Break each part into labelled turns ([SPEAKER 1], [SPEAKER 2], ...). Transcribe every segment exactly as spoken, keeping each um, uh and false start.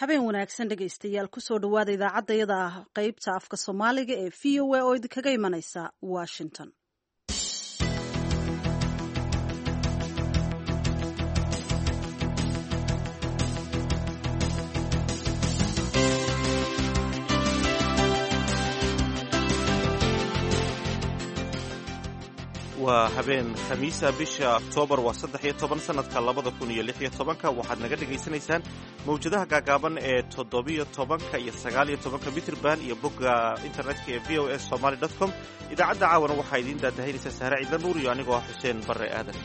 [SPEAKER 1] Habeen wanaagsan, dhegaystayaal. Kusoo dhawaada idaacaddayada qeybta afka Soomaaliga ee V O A oo idinkaga imanaysa Washington.
[SPEAKER 2] Waa habeen Khamiisa, bisha Oktoobar waa saddex iyo toban sanadka labada kun iyo lix iyo tobanka. Waxaad naga dhegaysanaysaan mawjadaha gaagaaban ee toddobiyo tobanka iyo sagaal iyo tobanka mitrban iyo bogga internetka ee V O A Somaly dot com. Idaacadda caawana waxaa idiin daadahaynaysaa Sahre Ciidla Nuur iyo anigoo ah Xuseen Barre Aadan.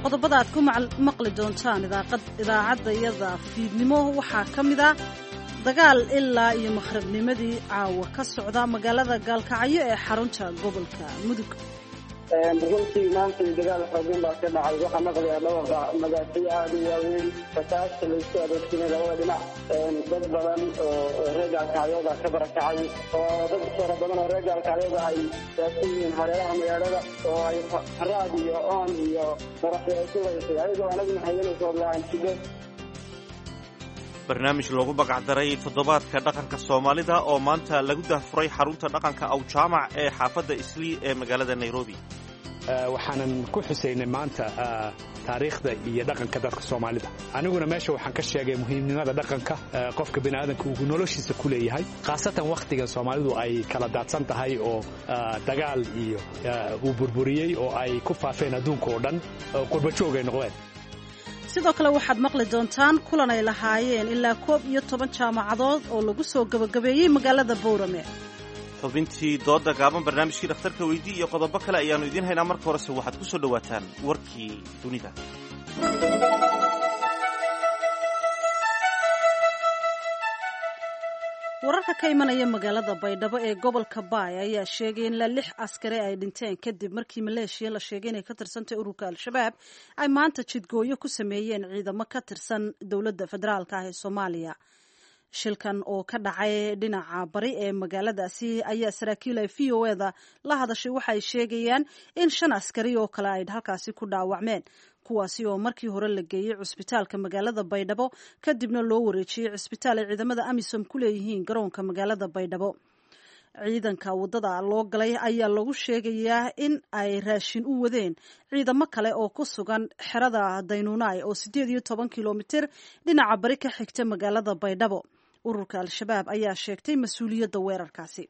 [SPEAKER 1] Qodobada aad ku maqli doontaan idaacaddayada fiidnimo waxaa ka mid ah dagaal ilaa iyo maqribnimadii caawa ka socda magaalada Gaalkacyo ee xarunta gobolka Mudug.
[SPEAKER 3] Runtii maanta dagaal xoogan baa ka dhacay. Waxaa maqlayaa dhawaqa madaafiic aada u waaweyn, rasaasta laysku adeegsanay labada dhinac. Dad badan oo reer Gaalkacyooda ka barakacay, oo dad fara badan oo reer Gaalkacyooda ay raadsan yihiin hareeraha magaalada, oo ay haraad iyo oon iyo maraxyo ay ku haysay, ayagoo anaguna hayanayso la-aan jidho.
[SPEAKER 2] Barnaamij loogu magacdaray toddobaadka dhaqanka Soomaalida oo maanta lagu daahfuray xarunta dhaqanka Awjaamac ee xaafadda Islii ee magaalada Nairobi.
[SPEAKER 4] Waxaanan ku xusaynay maanta taariikhda iyo dhaqanka dadka Soomaalida. Aniguna meesha waxaan ka sheegay muhiimnimada dhaqanka qofka biniaadanka uu noloshiisa ku leeyahay, khaasatan wakhtigan Soomaalidu ay kala daadsan tahay oo dagaal iyo uu burburiyey oo ay ku faafeen adduunka oo dhan, qurbajoog ay noqdeen.
[SPEAKER 1] Sidoo kale waxaad maqli doontaan kulan ay lahaayeen ilaa koob iyo toban jaamacadood oo lagu soo gabagabeeyey magaalada Bowrame.
[SPEAKER 2] Xubintii dooda gaaban, barnaamijkii dhakhtarka weydii iyo qodobo kale ayaannu idiin haynaa. Marka horese waxaad ku soo dhowaataan warkii dunida.
[SPEAKER 1] Wararka ka imanaya magaalada Baydhabo ee gobolka Baay ayaa sheegay in ilaa lix askari ay dhinteen kadib markii maleeshiya la sheegay inay ka tirsantay ururka Al-Shabaab ay maanta jidgooyo ku sameeyeen ciidamo ka tirsan dowladda federaalka ah ee Soomaaliya. Shilkan oo ka dhacay dhinaca bari ee magaaladaasi ayaa saraakiil ay V O eda la hadashay waxay sheegayaan in shan askari oo kale ay halkaasi ku dhaawacmeen, kuwaasi oo markii hore la geeyey cusbitaalka magaalada Baydhabo, kadibna loo wareejiyey cusbitaal ay ciidamada AMISOM ku leeyihiin garoonka magaalada Baydhabo. Ciidanka waddada loo galay ayaa lagu sheegayaa in ay raashin u wadeen ciidamo kale oo ku sugan xerada Daynuunaay oo sideed iyo toban kilomitir dhinaca bari ka xigta magaalada Baydhabo. Ururka Al-Shabaab ayaa sheegtay mas-uuliyadda weerarkaasi.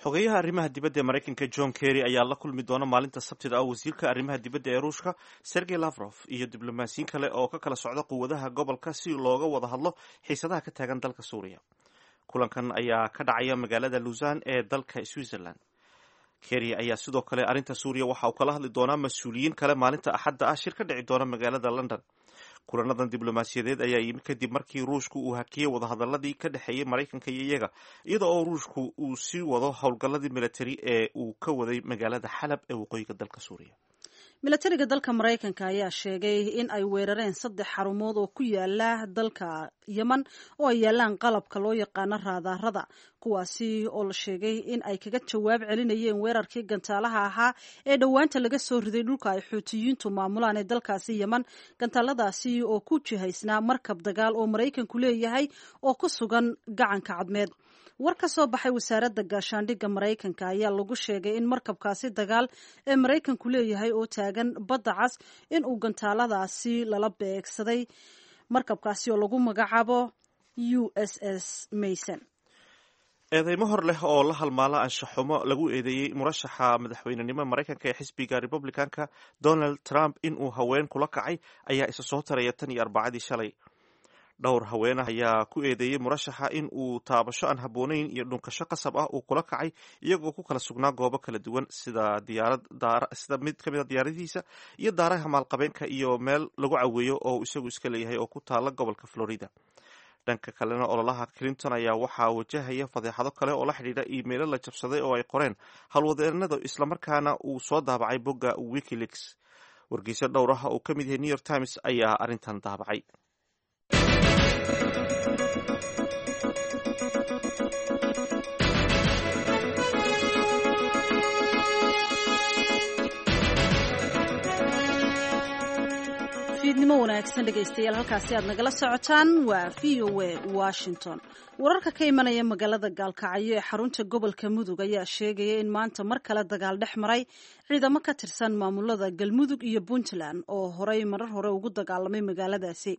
[SPEAKER 2] Xogeyaha arrimaha dibadda ee Maraykanka John Kerry ayaa la kulmi doona maalinta Sabtida ah wasiirka arrimaha dibadda ee Ruushka Sergey Lavrov iyo diblomaasiyiin kale oo ka kala socda quwadaha gobolka si looga wada hadlo xiisadaha ka taagan dalka Suuriya. Kulankan ayaa ka dhacaya magaalada Lausanne ee dalka Switzerland. Kerry ayaa sidoo kale arrinta Suuriya waxa uu kala hadli doonaa mas-uuliyiin kale maalinta Axadda ah shir ka dhici doona magaalada London. Kulanadan diblomaasiyadeed ayaa yimi kadib markii Ruushku uu hakiyey wadahadaladii ka dhexeeyey Maraykanka iyo iyaga, iyada oo Ruushku uu sii wado howlgalladii militari ee uu ka waday magaalada Xalab ee waqooyiga dalka Suuriya.
[SPEAKER 1] Milatariga dalka Maraykanka ayaa sheegay in ay weerareen saddex xarumood oo ku yaala dalka Yemen oo ay yaalaan qalabka loo yaqaano raadaarada, kuwaasi oo la sheegay in ay kaga jawaab celinayeen weerarkii gantaalaha ahaa ee dhowaanta laga soo riday dhulka ay Xuutiyiintu maamulaan ee dalkaasi Yemen, gantaaladaasi oo ku jihaysnaa markab dagaal oo Maraykanku leeyahay oo ku sugan gacanka Cadmeed. War ka soo baxay wasaaradda gaashaandhigga Maraykanka ayaa lagu sheegay in markabkaasi dagaal ee Maraykanku leeyahay oo taagan Badda Cas in uu gantaaladaasi lala beegsaday, markabkaasi oo lagu magacaabo U S S Mason.
[SPEAKER 2] Eedeymo hor leh oo la halmaala anshaxumo lagu eedeeyey murashaxa madaxweynenimo Maraykanka ee xisbiga Republicanka Donald Trump inuu haween kula kacay ayaa isa soo taraya tan iyo Arbacadii shalay. Dhowr haweenah ayaa ku eedeeyey murashaxa in uu taabasho aan habboonayn iyo dhunkasho qasab ah uu kula kacay, iyagoo ku kala sugnaa goobo kala duwan, sida diyaarad, sida mid ka mid a diyaaradihiisa iyo daaraha maalqabeenka iyo meel lagu caweeyo oo isagu iska leeyahay oo ku taala gobolka Florida. Dhanka kalena, ololaha Clinton ayaa waxaa wajahaya fadeexado kale oo la xidhiidha iimaylo la jabsaday oo ay qoreen howlwadeenada, islamarkaana uu soo daabacay bogga WikiLeaks. Wargeyso dhowr ah oo ka mid yahay New York Times ayaa arrintan daabacay.
[SPEAKER 1] Fiidnimo wanaagsan dhegaystayaal, halkaasi aad nagala socotaan waa V O A Washington. Wararka ka imanaya magaalada Gaalkacyo ee xarunta gobolka Mudug ayaa sheegaya in maanta mar kale dagaal dhex maray ciidamo ka tirsan maamulada Galmudug iyo Puntland oo horey marar hore ugu dagaalamay magaaladaasi.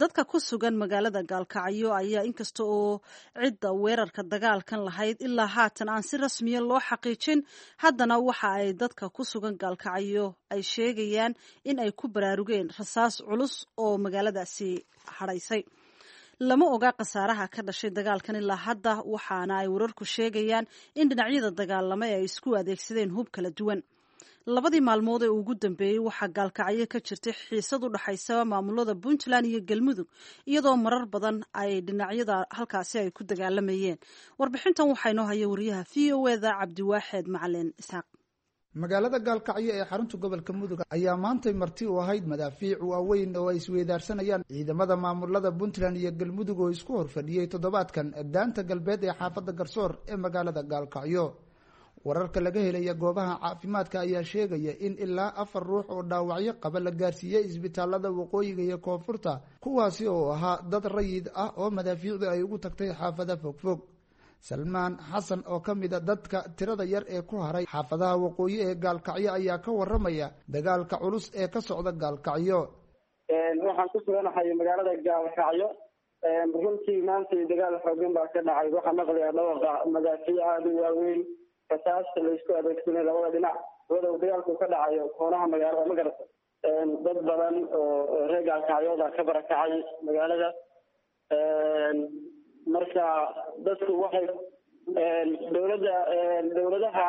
[SPEAKER 1] Dadka ku sugan magaalada Gaalkacyo ayaa inkasta oo cidda weerarka dagaalkan lahayd ilaa haatan aan si rasmiya loo xaqiijin, haddana waxa ay dadka ku sugan Gaalkacyo ay sheegayaan in ay ku baraarugeen rasaas culus oo magaaladaasi hadhaysay. Lama oga khasaaraha ka dhashay dagaalkan ilaa hadda, waxaana ay wararku sheegayaan in dhinacyada dagaalamay ay isku adeegsadeen hub kala duwan. Labadii maalmood ee ugu dambeeyey waxaa Gaalkacyo ka jirtay xiisad u dhaxaysa maamulada Puntland iyo Galmudug, iyadoo marar badan ay dhinacyada halkaasi ay ku dagaalamayeen. Warbixintan waxaa inoo haya wariyaha V O E da Cabdiwaaxeed Macalin Isxaaq.
[SPEAKER 5] Magaalada Gaalkacyo ee xarunta gobolka Mudug ayaa maantay marti u ahayd madaafiic waaweyn oo ay isweydaarsanayaan ciidamada maamulada Puntland iyo Galmudug oo isku horfadhiyey toddobaadkan daanta galbeed ee xaafadda Garsoor ee magaalada Gaalkacyo. Wararka laga helaya goobaha caafimaadka ayaa sheegaya in ilaa afar ruux oo dhaawacyo qaba la gaarsiiyey isbitaalada waqooyiga iyo koonfurta, kuwaasi oo ahaa dad rayid ah oo madaafiicdu ay ugu tagtay xaafada fogfog. Salmaan Xasan oo ka mid a dadka tirada yar ee ku haray xaafadaha waqooyi ee Gaalkacyo ayaa ka waramaya dagaalka culus ee ka socda Gaalkacyo.
[SPEAKER 3] Waxaan ku suganahay magaalada Gaalkacyo. Runtii maanta dagaal xoogan baa ka dhacay. Waxaa maqlayaa dhawaqa madaafiic aada u waaweyn, rasaasta laisku adeegsanay labada dhinac, walow dagaalku ka dhacayo koonaha magaalada, ma garata. Dad badan oo reer Gaalkacyooda ka barakacay magaalada. Marka dadku waxay dowladda dowladaha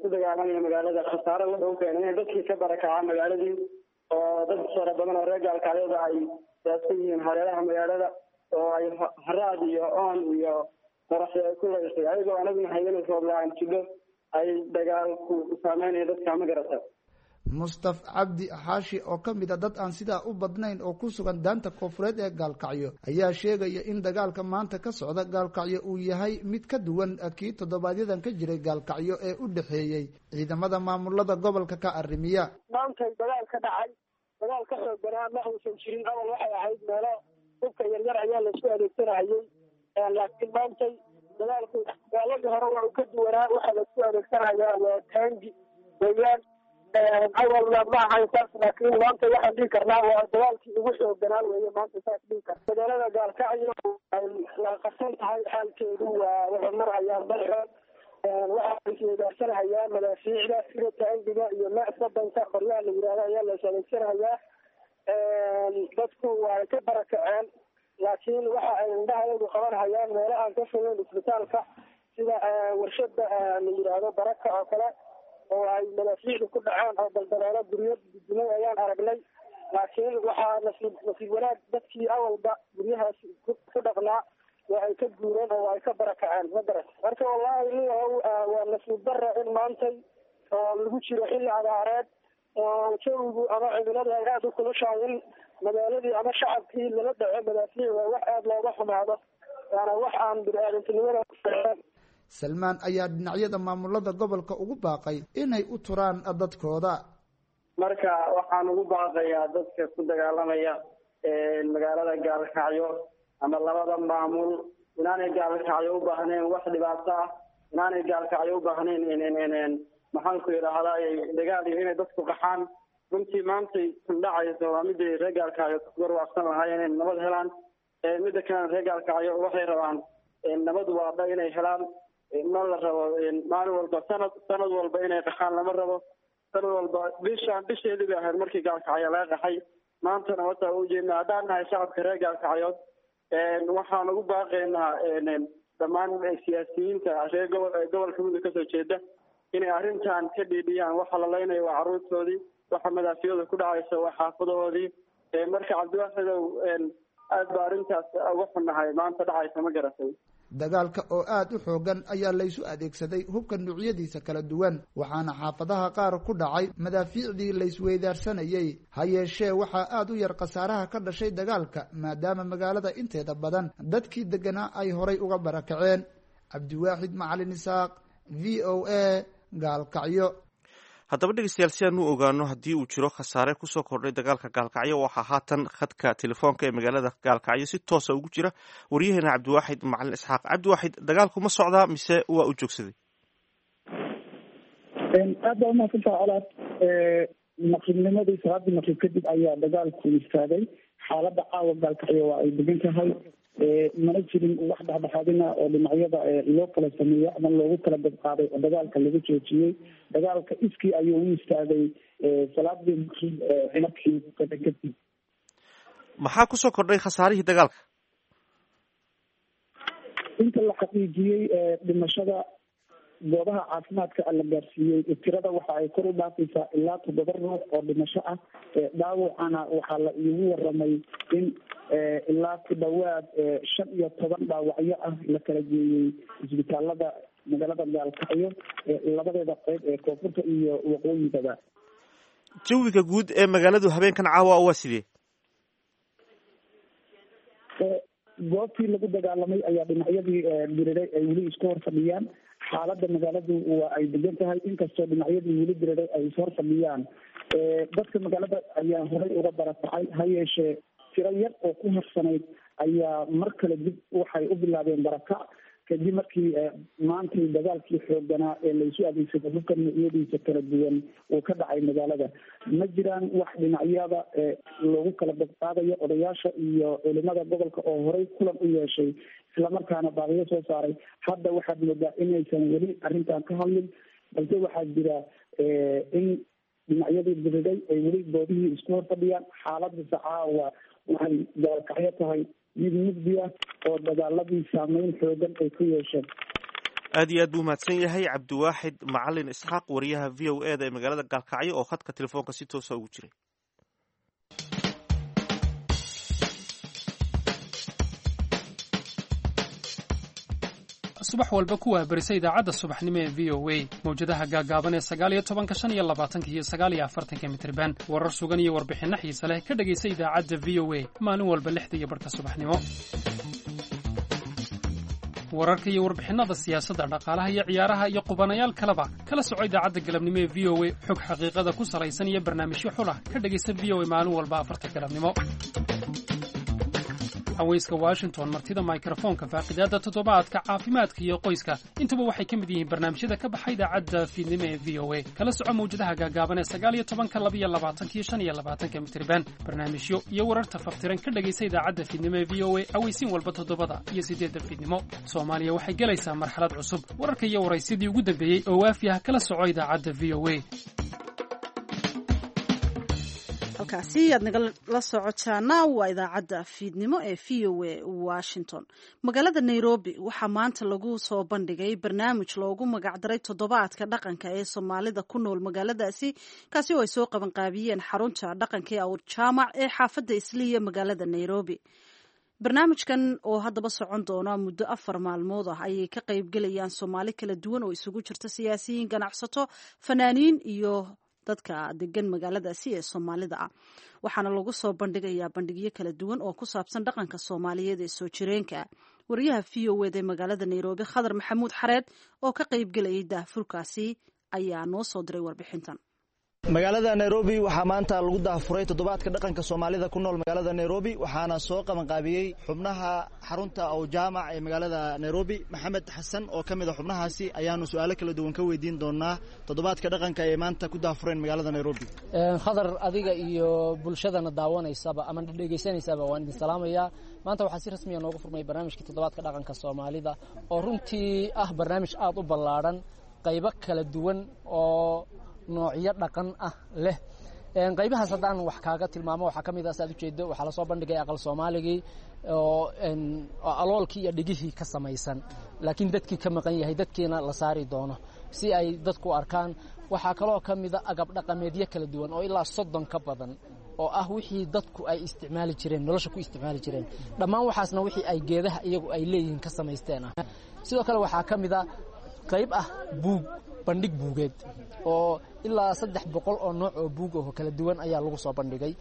[SPEAKER 3] ku dagaalamaya magaalada khasaare wuxuu keenay inay dadkii ka barakacaan magaaladii, oo dad fara badan oo reer Gaalkacyooda ay daadsan yihiin hareeraha magaalada, oo ay haraad iyo oon iyo qoraxda ay ku leysay, ayagoo anaguna hayana roob la-aan jidho ay dagaalku saameynaya dadka, ma garata.
[SPEAKER 5] Mustaf Cabdi Xaashi oo ka mid a dad aan sidaa u badnayn oo ku sugan daanta koonfureed ee Gaalkacyo ayaa sheegaya in dagaalka maanta ka socda Gaalkacyo uu yahay mid ka duwan kii toddobaadyadan ka jiray Gaalkacyo ee u dhexeeyey ciidamada maamulada gobolka ka arrimiya.
[SPEAKER 3] Maantay dagaal ka dhacay, dagaal ka xoogganaa ma uusan jirin. Awal waxay ahayd meelo hubka yaryar ayaa laisku adeegsanahayey, laakiin maantay dagaalku dagaaladii hore waa uu ka duwanaa. Waxaa laisku adeegsanayaa waa taangi weeyaan. Awalna ma ahayn saas, laakiin maanta waxaan dhihi karnaa waa dagaalkii ugu xoogganaa weeye maanta, saas dhihi karta. Magaalada Gaalkacyo waa qarsan tahay, xaalkeedu waa wuxuu marayaa balxood. Waxaa isweydaarsanhayaa madaafiicda sida taangiga iyo masabanka qoryaha la yidhahdo ayaa la is adeegsanayaa. Dadku waa ka barakaceen, laakiin waxa ay indhahayagu qabanhayaan meelo aan ka fogeyn isbitaalka, sida warshada la yidhaahdo Baraka oo kale, oo ay madaafiicdu ku dhaceen oo daldaloolo guryo dudumay ayaan aragnay. Laakiin waxaa nasiib nasiib wanaag dadkii awalba guryahaas ku dhaqnaa waa ay ka guureen oo ay ka barakaceen, ma garat. Marka wallaahi liyahow, waa nasiib darra in maantay oo lagu jiro xilli abaareed oo jawigu ama cimiladu ay aada u kulushahay in magaaladii ama shacabkii lala dhaco madaafiic. Waa wax aada looga xumaado, waana wax aan bini-aadantinimada.
[SPEAKER 5] Salmaan ayaa dhinacyada maamulada gobolka ugu baaqay inay u turaan dadkooda.
[SPEAKER 3] Marka waxaan ugu baaqayaa dadka ku dagaalamaya magaalada Gaalkacyo ama labada maamul inaanay Gaalkacyo u baahnayn wax dhibaato ah, inaanay Gaalkacyo u baahnayn, maxaan ku yidhaahdaa, dagaal iyo inay dadku qaxaan. Runtii maantay kun dhacayso waa miday reer Gaalkacyo garwaaqsan lahaayeen inay nabad helaan. Midda kalena reer Gaalkacyo waxay rabaan nabad waadha inay helaan. Ma la rabo maalin walba, sanad sanad walba inay qaxaan lama rabo. Sanad walba bishaan bisheedii bay ahayd markii Gaalkacyo laga qaxay, maantana wataa u jeedna. Haddaan nahay shacabka reer Gaalkacyood, waxaan ugu baaqaynaa dhammaan siyaasiyiinta reer gobol gobolka Mudug kasoo jeeda inay arrintan ka dhiidhiyaan. Waxa la leynayo waa carruurtoodii, waxa madaafiyada ku dhacaysa waa xaafadahoodii. Marka Cabdiwaaxidow, aad ba arrintaas uga xunnahay maanta dhacaysa, ma garatay.
[SPEAKER 5] Dagaalka oo aada u xoogan ayaa laysu adeegsaday hubka nuucyadiisa kala duwan, waxaana xaafadaha qaar ku dhacay madaafiicdii laysweydaarsanayey. Ha yeeshee waxaa aada u yar khasaaraha ka dhashay dagaalka, maadaama magaalada inteeda badan dadkii deganaa ay horay uga barakaceen. Cabdiwaaxid Macalin Isaaq, V O A, Gaalkacyo.
[SPEAKER 2] Haddaba dhegeystayaal, si aan u ogaano haddii uu jiro khasaare kusoo kordhay dagaalka Gaalkacyo, waxaa haatan khadka telefoonka ee magaalada Gaalkacyo si toosa ugu jira waryaheena Cabdiwaaxid Macalin Isxaaq. Cabdiwaaxid, dagaalku ma socdaa mise waa uu joogsaday?
[SPEAKER 3] Aad baa umahadsantaha Colaad. Maqribnimadii, salaadii maqrib kadib ayaa dagaalku istaagay. Xaaladda caawa Gaalkacyo waa ay degan tahay, mana jirin wax dhexdhexaadina oo dhinacyada loo kala sameeyo ama loogu kala dabqaaday oo dagaalka lagu joojiyey. Dagaalka iskii ayuu u istaagay salaadii maqrib markii kadib.
[SPEAKER 2] Maxaa kusoo kordhay khasaarihii dagaalka?
[SPEAKER 3] Inta la xaqiijiyey dhimashada goobaha caafimaadka la gaarsiiyey tirada waxa ay kor u dhaafaysaa ilaa toddoba ruux oo dhimasho ah. Dhaawacana waxaa la iigu waramay in ilaa ku dhawaad shan iyo toban dhaawacyo ah la kala geeyey isbitaalada magaalada Gaalkacyo labadeeda qeyb ee koonfurta iyo waqooyigaba.
[SPEAKER 2] Jawiga guud ee magaaladu habeenkan caawa waa sidee?
[SPEAKER 3] Goobtii lagu dagaalamay ayaa dhinacyadii diriray ay weli isku hor fadhiyaan. Xaaladda magaaladu waa ay degan tahay, inkastoo dhinacyadii weli diriray ay ishor fadhiyaan. Dadka magaalada ayaa horey uga barakacay, ha yeeshee tiro yar oo ku harsanayd ayaa mar kale dib waxay u bilaabeen barakac kadib markii maantay dagaalkii xooganaa ee laysu adeegsaday hubka noocyadiisa kala duwan uu ka dhacay magaalada. Ma jiraan wax dhinacyada loogu kala badqaadayo. Odayaasha iyo culimada gobolka oo horey kulan u yeeshay islamarkaana baaqiyo soo saaray, hadda waxaad moodaa inaysan weli arrintan ka hadlin, balse waxaa jira in dhinacyadii diriday ay weli goobihii isku hor fadhiyaan. Xaaladda sacaawa waxay Gaalkacyo tahay mid mugdi ah oo dagaaladii saameyn xoogan ay ku yeesheen.
[SPEAKER 2] Aad iyo aad buu mahadsan yahay Cabdiwaaxid Macalin Isxaaq, wariyaha V O E da ee magaalada Gaalkacyo oo khadka telefoonka si toosa ugu jiray.
[SPEAKER 6] Subax walba kuwaa barisa idaacadda subaxnimo ee V O A, mawjadaha gaagaaban ee sagaal iyo tobanka, shan iyo labaatanka iyo sagaal iyo afartanka mitriban. Warar sugan iyo warbixinno xiise leh ka dhegaysa idaacadda V O A maalin walba lixda iyo barhka subaxnimo. Wararka iyo warbixinnada siyaasadda, dhaqaalaha iyo ciyaaraha iyo qubanayaal kaleba kala soco idaacadda galabnimo ee V O A. Xog xaqiiqada ku salaysan iyo barnaamijyo xulah ka dhegaysa V O A maalin walba afarta galabnimo. Haweyska Washington, martida mikrofoonka, faaqidaadda toddobaadka, caafimaadka iyo qoyska, intuba waxay ka mid yihiin barnaamijyada ka baxa idaacadda fiidnimo ee V O A. Kala soco mawjadaha gaagaaban ee sagaal iyo tobanka, labiyo labaatanka iyo shan iyo labaatanka mitriban. Barnaamijyo iyo wararta faftiran ka dhegaysa idaacadda fiidnimo ee V O A aweysiin walba toddobada iyo siddeedda fiidnimo. Soomaaliya waxay gelaysaa marxalad cusub. Wararka iyo waraysyadii ugu dambeeyey oo waafi ah kala soco idaacadda V O A.
[SPEAKER 1] Halkaasi aad nagala socotaana waa idaacadda fiidnimo ee V O A Washington. Magaalada Nairobi waxaa maanta lagu soo bandhigay barnaamij loogu magacdaray toddobaadka dhaqanka ee Soomaalida ku nool magaaladaasi, kaasi oo ay soo qabanqaabiyeen xarunta dhaqanka ee Awrjaamac ee xaafadda Isliya magaalada Nairobi. Barnaamijkan oo haddaba socon doona muddo afar maalmood ah ayay ka qaybgelayaan Soomaali kala duwan oo isugu jirta siyaasiyiin, ganacsato, fanaaniin iyo dadka degan magaaladaasi ee Soomaalida ah. Waxaana lagu soo bandhigayaa bandhigyo kala duwan oo ku saabsan dhaqanka Soomaaliyeed ee soo jireenka. Wariyaha V O eda ee magaalada Nairobi, Khadar Maxamuud Xareed, oo ka qaybgelayay daahfurkaasi ayaa noo soo diray warbixintan.
[SPEAKER 7] Magaalada Nairobi waxaa maanta lagu daahfuray toddobaadka dhaqanka Soomaalida ku nool magaalada Nairobi, waxaana soo qabanqaabiyey xubnaha xarunta Awjaamac ee magaalada Nairobi. Maxamed Xasan oo ka mid a xubnahaasi ayaanu su'aalo kala duwan ka weydiin doonaa toddobaadka dhaqanka ee maanta ku daahfureen magaalada Nairobi.
[SPEAKER 8] Khadar, adiga iyo bulshadana daawanaysaba ama dhegaysanaysaba waan idin salaamayaa. Maanta waxaa si rasmiya noogu furmay barnaamijkii toddobaadka dhaqanka Soomaalida oo runtii ah barnaamij aad u ballaadhan, qaybo kala duwan oo noocyo dhaqan ah leh. Qaybahaas haddaan wax kaaga tilmaamo, waxaa ka mid ah, saad ujeedo, waxaa lasoo bandhigay aqal Soomaaligii oo aloolkii iyo dhigihii ka samaysan, laakiin dadkii ka maqan yahay, dadkiina la saari doono si ay dadku arkaan. Waxaa kaloo ka mida agab dhaqameedyo kala duwan oo ilaa soddon ka badan oo ah wixii dadku ay isticmaali jireen, nolosha ku isticmaali jireen, dhammaan waxaasna wixii ay geedaha iyagu ay leeyihiin ka samaysteen ah. Sidoo kale waxaa ka mid a qayb ah buug, bandhig buugeed oo ilaa saddex boqol oo nooc oo buug oo kala duwan ayaa lagu soo bandhigay.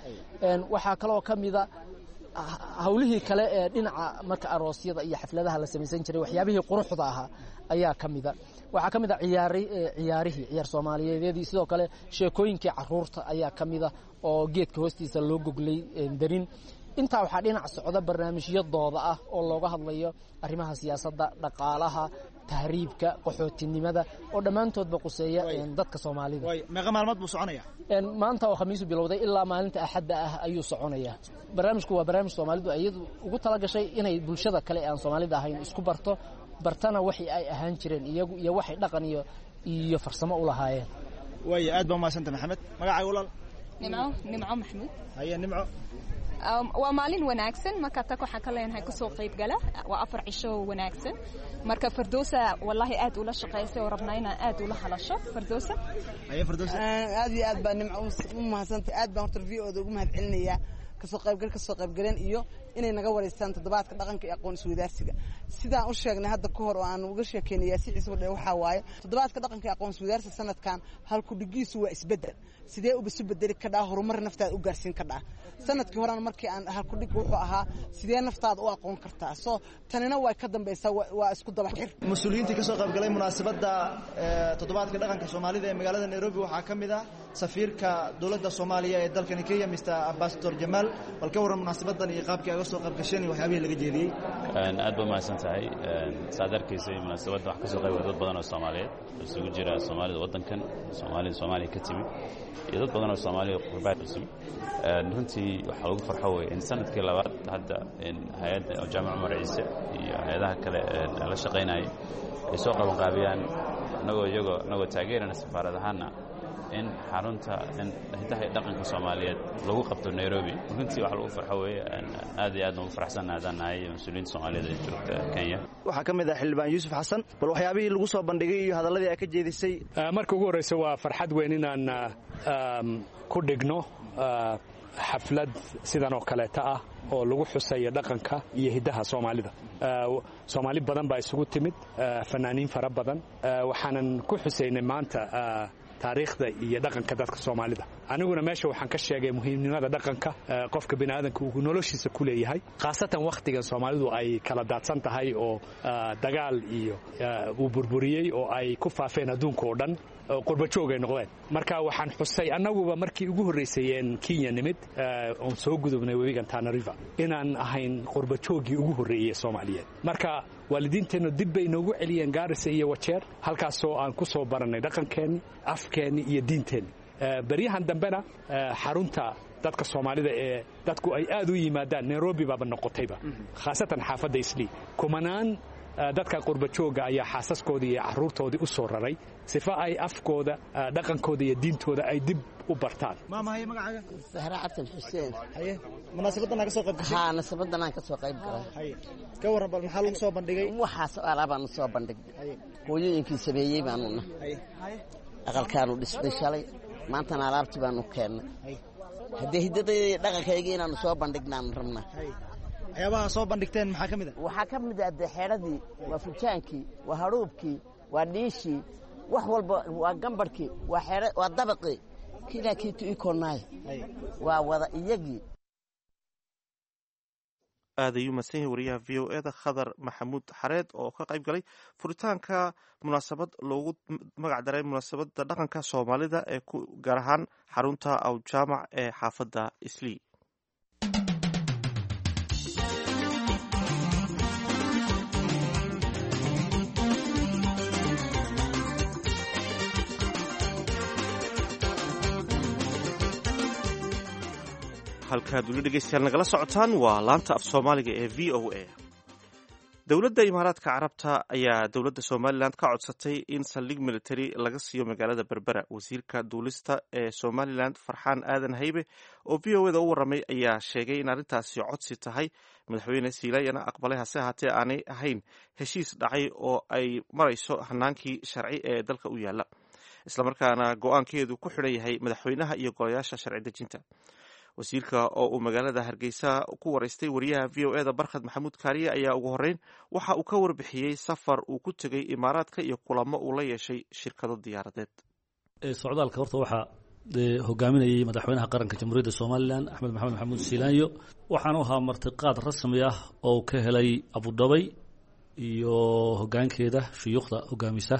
[SPEAKER 8] Waxaa kaloo ka mida hawlihii kale ee dhinaca marka aroosyada iyo xafladaha la samaysan jiray, waxyaabihii quruxda ahaa ayaa ka mida. Waxaa ka mid ah ciyaari ciyaarihii ciyaar soomaaliyeedyadii, sidoo kale sheekooyinkii caruurta ayaa ka mid ah oo geedka hoostiisa loo goglay darin. Intaa waxaa dhinac socda barnaamijyo dooda ah oo looga hadlayo arrimaha siyaasadda, dhaqaalaha, tahriibka, qaxootinimada oo dhammaantoodba quseeya dadka Soomaalida.
[SPEAKER 7] Meeqa maalmood buu soconaya?
[SPEAKER 8] Maanta oo Khamiisu bilowday ilaa maalinta Axadda ah ayuu soconaya. Barnaamijku waa barnaamij Soomaalidu iyadu ugu talagashay inay bulshada kale ee aan Soomaalida ahayn isku barto, bartana waxii ay ahaan jireen iyagu iyo waxay dhaqan iyo iyo farsamo u lahaayeen.
[SPEAKER 7] Waaya, aad baa umahadsanta Maxamed. Magacaaga walaal?
[SPEAKER 9] Nimco, Nimco Maxamuud.
[SPEAKER 7] Haye Nimco.
[SPEAKER 9] Waa maalin wanaagsan, marka tak waxaan ka leenahay kusoo qayb gala. Waa afar cisho wanaagsan. Marka Firdowsa wallahi aad ula shaqaysay oo rabnaa inaan aad ula hadasho Firdowsa.
[SPEAKER 7] Haye Firdowsa.
[SPEAKER 10] Aad iyo aad baa Nimco u mahadsantay. Aad baan horta V O da ugu mahad celinayaa kasoo qaybgal kasoo qaybgaleen iyo inay naga wareystaan toddobaadka dhaqanka iyo aqoon isweydaarsiga. Sidaan u sheegnay hadda ka hor oo aan uga sheekeynay Yaasiin Ciise Wadhe, waxaa waaye toddobaadka dhaqanka iyo aqoon isweydaarsiga sanadkan halku dhigiisu waa isbeddel. Sidee uba isu bedeli kadhaa horumar naftaada u gaarsiin kadhaa? Sanadkii horena markii aan halku dhig wuxuu ahaa sidee naftaada u aqoon kartaa. Soo tanina way ka dambaysaa, waa isku daba xir.
[SPEAKER 7] Mas-uuliyiintii kasoo qaybgalay munaasabadda toddobaadka dhaqanka Soomaalida ee magaalada Nairobi waxaa ka mid ah safiirka dowladda Soomaaliya ee dalkani Kenya, Mister Ambassador Jamaal. Bal ka warran munaasabadan iyo qaabkii aga soo qayb gasheen iyo waxyaabihii laga jeediyey.
[SPEAKER 11] Aad baa mahadsan tahay. Saad arkaysay munaasabadda wax ka soo qayb dad badan oo Soomaaliyeed oo isugu jira Soomaalida waddankan, Soomaalida Soomaaliya ka timi iyo dad badan oo Soomaaliya qurbaa cusub. Runtii waxaa lagu farxo wey in sanadkii labaad hadda in hay-adda Jaamac Cumar Ciise iyo hay-adaha kale ee la shaqaynayay ay soo qabanqaabiyaan, anagoo iyagoo anagoo taageerana safaarad ahaana, in xarunta in hidaha iyo dhaqanka Soomaaliyeed lagu qabto Nairobi. Runtii waxa lagu farxo weeye, aad iyo aad ugu faraxsanahay haddaan nahay mas-uuliyiinta Soomaaliyeed ee joogta Kenya.
[SPEAKER 7] Waxaa ka mid ah Xildhibaan Yuusuf Xasan. Bal waxyaabihii lagu soo bandhigay iyo hadalladii ay ka jeedisay.
[SPEAKER 4] Marka ugu horreysa waa farxad weyn inaan ku dhigno xaflad sidan oo kaleeta ah oo lagu xusayo dhaqanka iyo hiddaha Soomaalida. Soomaali badan baa isugu timid, fanaaniin fara badan. Waxaanan ku xusaynay maanta taariikhda iyo dhaqanka dadka Soomaalida. Aniguna meesha waxaan ka sheegay muhiimnimada dhaqanka qofka bini'aadanka uu noloshiisa ku leeyahay, khaasatan wakhtigan Soomaalidu ay kala daadsan tahay oo dagaal iyo uu burburiyey oo ay ku faafeen adduunka oo dhan, qurba joog ay noqdeen. Marka waxaan xusay annaguba markii ugu horreysay Kenya nimid oon soo gudubnay webigan Tana River inaan ahayn qurba jooggii ugu horreeyay Soomaaliyeed. Marka waalidiinteennu dib bay noogu celiyeen Gaarisa iyo Wajeer, halkaasoo aan ku soo barannay dhaqankeenni, afkeenni iyo diinteenni. Beryahan dambena xarunta dadka Soomaalida ee dadku ay aad u yimaadaan Nairobi baaba noqotayba, khaasatan xaafadda Islii. Kumanaan dadka qurba jooga ayaa xaasaskoodii iyo carruurtoodii u soo raray sifa ay afkooda, dhaqankooda iyo diintooda ay dib u bartaan.
[SPEAKER 7] Maa mahay magacaaga?
[SPEAKER 12] Sahra Cabdi Xuseen.
[SPEAKER 7] Haye, munaasabadan ka soo qayb gashay?
[SPEAKER 12] Haa, munaasabadan aan ka soo qayb galay.
[SPEAKER 7] Haye, ka warran bal maxaa lagu soo bandhigay?
[SPEAKER 12] Waxaas alaabaan soo bandhignay. Hooyooyinkii sameeyey baanu nahay. Aqalkaanu dhisnay shalay, maantana alaabtii baanu keennay. Haddii hiddadayda dhaqankayga inaanu soo bandhignaanu rabnaa.
[SPEAKER 7] Waxyaabaha soo bandhigteen maxaa ka mid ah?
[SPEAKER 12] Waxaa ka mid ah dee xeedhadii, waa fujaankii, waa hadhuubkii, waa dhiishii, wax walba, waa gambarhkii, waa xeedha, waa dabaqii, kilaa kiitu ikonaay, waa wada iyagii.
[SPEAKER 2] Aad ayuu mahadsan yahay wariyaha V O E da Khadar Maxamuud Xareed oo ka qayb galay furitaanka munaasabad loogu magac daray munaasabadda dhaqanka Soomaalida ee ku gaar ahaan xarunta Awjaamac ee xaafadda Islii. Halkaad weli dhegeystayaal nagala socotaan waa laanta af soomaaliga ee V O A. Dowladda Imaaraadka Carabta ayaa dowladda Somalilan ka codsatay in saldhig military laga siiyo magaalada Berbera. Wasiirka duulista ee Somalilan Farxaan Aadan Haybe oo V O A da u warramay ayaa sheegay in arrintaasi codsi tahay, madaxweyne Siilaayana aqbalay, hase ahaatee aanay ahayn heshiis dhacay oo ay marayso hanaankii sharci ee dalka u yaalla, islamarkaana go-aankeedu ku xidhan yahay madaxweynaha iyo golayaasha sharci dejinta. Wasiirka oo uu magaalada Hargeysa ku waraystay wariyaha V O E da Barkhad Maxamuud Kaariye ayaa ugu horreyn waxa uu ka warbixiyey safar uu ku tegey Imaaraadka iyo kulamo uu la yeeshay shirkado diyaaradeed.
[SPEAKER 13] Socdaalka horta waxaa hogaaminayay madaxweynaha qaranka Jamhuuriyadda Somalilan Axmed Maxamed Maxamuud Siilaanyo, waxaanu ahaa martiqaad rasmi ah oo ka helay Abudhabay iyo hogaankeeda shuyuukhda hogaamisa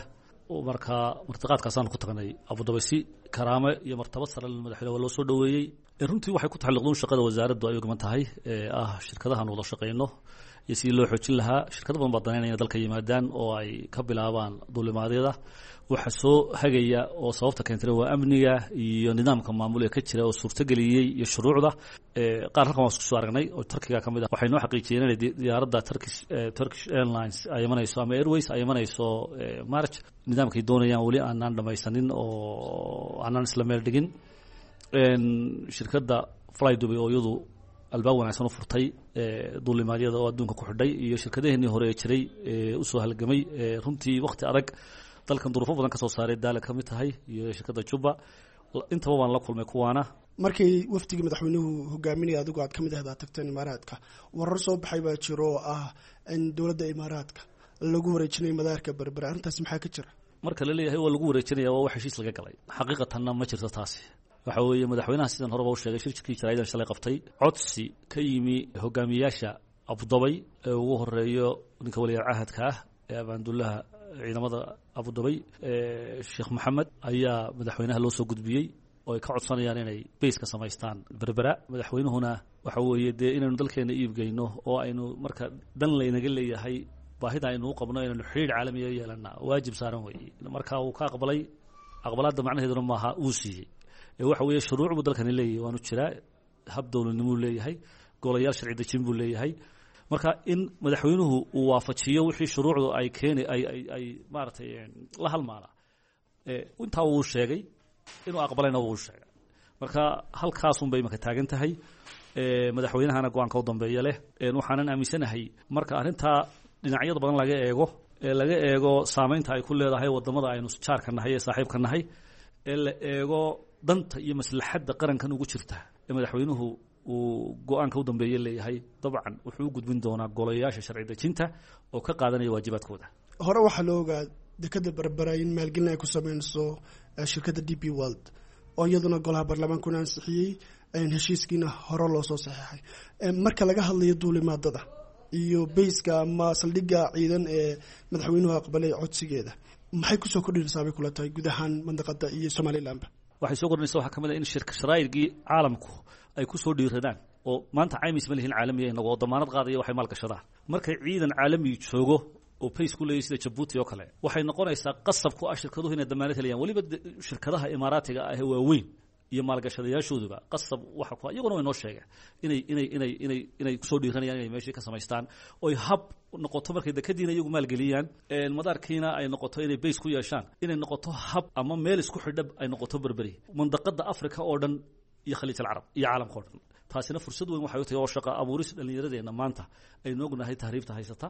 [SPEAKER 13] Markaa martiqaadkaasaanu ku tagnay Abudabay si karaame iyo martabad sare madaxweyne waa loo soo dhoweeyey. Runtii waxay ku taxalluqduun shaqada wasaaraddu ay ugaman tahay ee ah shirkadahan wada shaqeyno iyo sidii loo xoojin lahaa. Shirkado badan baa danaynaya inay dalka yimaadaan oo ay ka bilaabaan duulimaadyada. Waxa soo hagaya oo sababta keentay waa amniga iyo nidaamka maamul ee ka jira oo suurtageliyey iyo shuruucda. Qaar halkan waan isku soo aragnay oo Turkiga ka mid ah, waxay noo xaqiijiyeen inay diyaaradda Turkish Turkish Airlines ay imanayso ama Airways ay imanayso March. Nidaamkay doonayaan weli aanaan dhamaysanin oo aanaan isla meel dhigin. Shirkadda Fly Dubai oo iyadu albaab wanaagsan u furtay duulimaadyada oo adduunka ku xidhay, iyo shirkadaheenii hore ee jiray usoo halgamay runtii waqti adag dalkan duruufo badan ka soo saaray, Daala ka mid tahay iyo shirkadda Juba, intaba waan la kulmay kuwaana.
[SPEAKER 14] Markii wafdigii madaxweynuhu hogaaminaya adigu aad ka mid ahdaa tagteen Imaaraadka, warar soo baxay baa jiro oo ah in dowladda Imaaraadka lagu wareejinay madaarka Berbera. Arrintaasi maxaa ka jira?
[SPEAKER 13] Marka la leeyahay waa lagu wareejinaya, waa wax heshiis laga galay, xaqiiqatanna ma jirto taasi. Waxa weeye madaxweynaha sidan horeba u sheegay shirkii jaraa'idan shalay qabtay, codsi ka yimi hogaamiyaasha Abudabay ee ugu horeeyo ninka waliyaal cahadka ah ee abaandullaha ciidamada Abudabay Sheekh Maxamed ayaa madaxweynaha loo soo gudbiyey oo ay ka codsanayaan inay base ka samaystaan Berbera. Madaxweynuhuna waxa weeye dee inaynu dalkeena iibgeyno oo aynu marka dan laynaga leeyahay baahida aynu u qabno inaynu xidhiidh caalamiya yeelana waajib saaran weeye. Marka uu ka aqbalay, aqbalaadda macnaheeduna maaha uu siiyey, waxa weeye shuruuc buu dalkani leeyahay, waanu jiraa hab dowladnimuu leeyahay, golayaal sharci dejin buu leeyahay. Marka in madaxweynuhu uu waafajiyo wixii shuruucdu ay keeni ay ay ay maaragtay la halmaala, intaa wuu sheegay inuu aqbalayna wuu sheegay. Marka halkaasun bay imaka taagan tahay, madaxweynahana go-aanka u dambeeya leh. Waxaanan aaminsanahay marka arrintaa dhinacyada badan laga eego, ee laga eego saameynta ay ku leedahay wadamada aynu jaarka nahay ee saaxiibka nahay, ee la eego danta iyo maslaxadda qarankan ugu jirta ee madaxweynuhu uu go-aanka u dambeeye leeyahay, dabcan wuxuu u gudbin doonaa golayaasha sharci dejinta oo ka qaadanaya waajibaadkooda.
[SPEAKER 14] Hore waxaa loo ogaa dekada Berbera in maalgelin ay ku sameynayso shirkadda D P World oo iyaduna golaha baarlamaankuna ansixiyey, heshiiskiina hore loo soo saxeexay. Marka laga hadlayo duulimaadada iyo bayska ama saldhigga ciidan ee madaxweynuhu aqbalay codsigeeda, maxay kusoo kordhinaysaa bay kula tahay guud ahaan mandaqada iyo Somalilandba?
[SPEAKER 13] Waxay soo kordhinaysa waxaa ka mid ah in shirka sharaa'irkii caalamku ay ku soo dhiiradaan oo maanta caymis ma lihin caalamiya inagu oo damaanad qaadaya waxay maalgashadaan. Markay ciidan caalami joogo oo pace ku leeyahay sida Djibouti oo kale, waxay noqonaysaa qasab ku ah shirkaduhu inay damaanad helayaan. Weliba shirkadaha Imaaraatiga ah ee waaweyn iyo maalgashadayaashooduba qasab waxa ku iyaguna way noo sheegeen inay inay inay inay inay kusoo dhiiranayaan inay meeshii ka samaystaan oy hab noqoto markay dekadiina iyagu maalgeliyaan, madaarkiina ay noqoto inay base ku yeeshaan, inay noqoto hab ama meel isku xidha ay noqoto Berberi mandaqada Afrika oo dhan iyo Khaliij alcarab iyo caalamka oo dhan. Taasina fursad weyn waxay u tahay oo shaqa abuuris dhallinyaradeenna maanta aynu ognahay tahriibta haysata,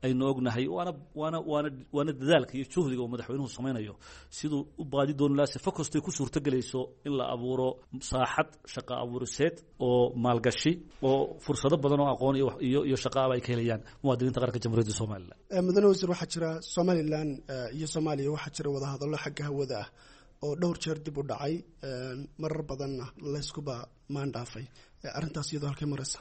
[SPEAKER 13] aynu ognahay, waana waana waana waana dadaalka iyo juhdiga uu madaxweynuhu samaynayo siduu u baadi dooni lahaa sifo kastay ku suurtagelayso in la abuuro saaxad shaqa abuuriseed oo maalgashi oo fursado badan oo aqoon iyo iyo iyo shaqaaba ay ka helayaan muwaadiniinta qaranka Jamhuuriyadda Somaliland.
[SPEAKER 14] Mudane wasiir, waxaa jira Somaliland iyo Soomaaliya waxaa jira wadahadallo xagga hawada ah oo dhowr jeer dib u dhacay, marar badanna layskuba maandhaafay. Arrintaas iyadoo halkay maraysa?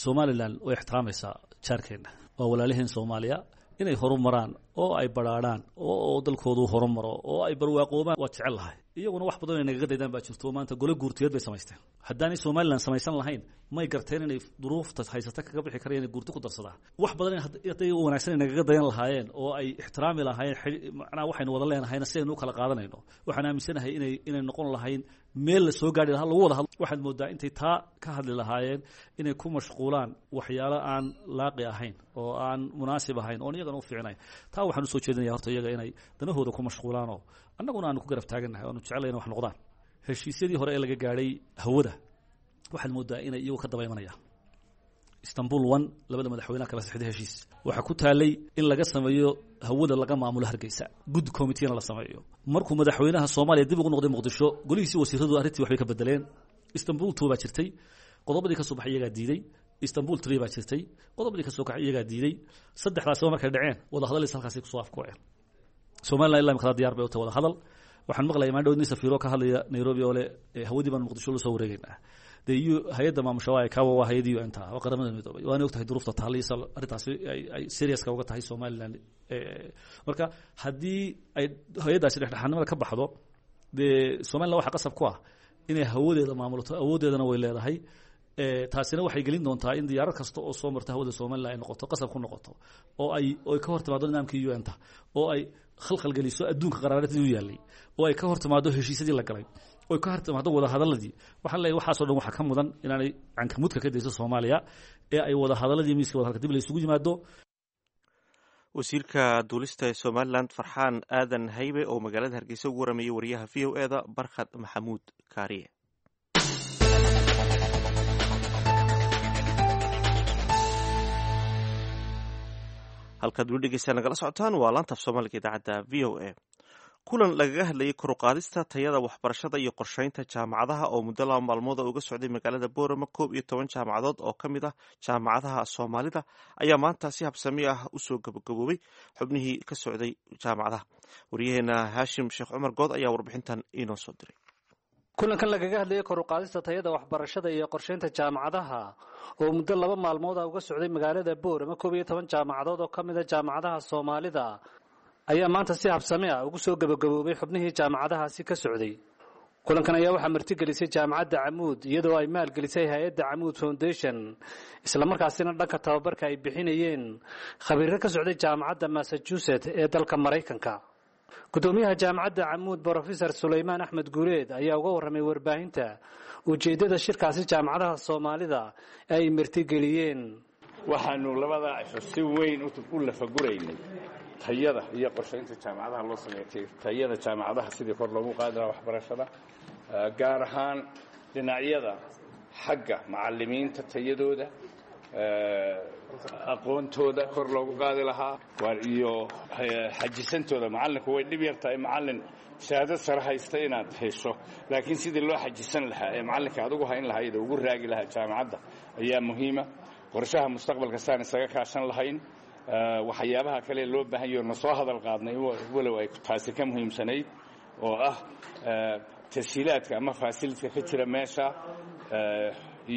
[SPEAKER 13] Somaliland way ixtiraamaysaa jaarkeenna, waa walaalaheen Soomaaliya. Inay horumaraan oo ay badhaadhaan oo dalkoodu horumaro oo ay barwaaqoobaan waa jecel lahay. Iyaguna wax badan ay nagaga daydaan baa jirto. Maanta gole guurtiyeed bay samaysteen. Haddaanay Somaliland samaysan lahayn may garteen inay duruufta haysata kaga bixi karayaan inay guurti ku darsadaan. Wax badan hadday wanaagsan ay nagaga dayan lahaayeen oo ay ixtiraami lahaayeen, macnaha waxaynu wada leenahayna sidaynu u kala qaadanayno, waxaan aaminsanahay inay inay noqon lahayn meel la soo gaari lahaa lagu wada hadlo. Waxaad moodaa intay taa ka hadli lahaayeen inay ku mashquulaan waxyaalo aan laaqi ahayn oo aan munaasib ahayn oon iyagana u fiicnayn. Taa waxaan usoo jeedinaya horta iyaga inay danahooda ku mashquulaanoo annaguna aanu ku garab taagannahay oanu jeclay inay wax noqdaan. Heshiisyadii hore ee laga gaadhay hawada waxaad moodaa inay iyagu ka daba imanayaan. Istanbul one labada madaxweynaha kala saxday heshiis waxaa ku taalay in laga sameeyo hawada laga maamulo Hargeysa, good committee-na la sameeyo. Markuu madaxweynaha Soomaaliya dib ugu noqday Muqdisho, golihiisii wasiiradu arrintii waxbay ka bedeleen. Istanbul two baa jirtay, qodobadii ka soo baxay iyagaa diiday. Istanbul three baa jirtay, qodobadii ka soo kacay iyagaa diiday. Saddexdaasiba markay dhaceen wadahadalis halkaasay kusoo afkooceen. Somaliland ilaa imika diyaar bay u tahay wadahadal. Waxaan maqlayaa maandhow nin safiiro ka hadlaya Nairobi oo leh hawadii baan Muqdisho la soo wareegaynaa. Dee hay-adda maamusha waa kawa, waa hay-adda U N ta, waa Qaramada Midoobay, waana og tahay duruufta taaliisa arrintaasi ay ay seriouska uga tahay Somaliland. Marka haddii ay hay-addaasi dhexdhexaadnimada ka baxdo, dee Somaliland waxaa qasab ku ah inay hawadeeda maamulato, awooddeedana way leedahay. Taasina waxay gelin doontaa in diyaarad kasta oo soo marta hawada Somaliland ay noqoto qasab ku noqoto oo ay oo ay ka hor timaado nidaamkii U N ta, oo ay khalkhal geliso adduunka qaraaradii u yaallay, oo ay ka hor timaado heshiisyadii la galay, oo ay ka hor timaado wada hadaladii. Waxaan leeyahay waxaasoo dhan waxaa ka mudan inaanay cankamudka ka dayso Soomaaliya ee ay wada hadaladii miiska wada hadalka dib la isugu yimaado.
[SPEAKER 2] Wasiirka duulista ee Somaliland Farxaan Aadan Haybe oo magaalada Hargeysa ugu waramayay wariyaha V O E da Barkhad Maxamuud Kaariye. Halkaad weli dhegeysaa nagala socotaan waa laanta af Soomaaliga idaacadda V O A. Kulan lagaga hadlayay koruqaadista tayada waxbarashada iyo qorsheynta jaamacadaha oo muddo laba maalmooda uga socday magaalada Boorama koob iyo toban jaamacadood oo ka mid ah jaamacadaha Soomaalida ayaa maanta si habsami ah usoo gabagaboobay xubnihii ka socday jaamacadaha. Wariyaheena Haashim Sheekh Cumar Good ayaa warbixintan inoo soo diray.
[SPEAKER 6] Kulankan lagaga hadlayay kor u qaadista tayada waxbarashada iyo qorsheynta jaamacadaha oo muddo laba maalmood ah uga socday magaalada Boorama koob iyo toban jaamacadood oo ka mid ah jaamacadaha Soomaalida ayaa maanta si habsami ah ugu soo gabagaboobay xubnihii jaamacadahaasi ka socday. Kulankan ayaa waxaa martigelisay jaamacadda Camuud, iyadoo ay maalgelisay hay-adda Camuud Foundation, islamarkaasina dhanka tababarka ay bixinayeen khabiiro ka socday jaamacadda Massachusetts ee dalka Maraykanka. Gudoomiyaha jaamacadda Camuud Brofesor Sulaymaan Axmed Guuleed ayaa uga warramay warbaahinta ujeeddada shirkaasi jaamacadaha Soomaalida ay martigeliyeen.
[SPEAKER 15] Waxaanu labadaa cisho si weyn u lafaguraynay tayada iyo qorshaynta jaamacadaha loo sameeyay, tayada jaamacadaha sidii kor loogu qaadi lahaa waxbarashada, gaar ahaan dhinacyada xagga macallimiinta tayadooda, aqoontooda kor loogu qaadi lahaa iyo xajisantooda. Macallinku way dhib yartahay macallin shahaadad sare haysta inaad hesho, laakiin sidii loo xajisan lahaa ee macallinka adugu hayn lahayd oo ugu raagi lahaa jaamacadda ayaa muhiima. Qorshaha mustaqbalka saan isaga kaashan lahayn, waxyaabaha kale loo baahan yaho na soo hadal qaadnay, walow ay taasi ka muhiimsanayd, oo ah tashiilaadka ama fasilidka ka jira meesha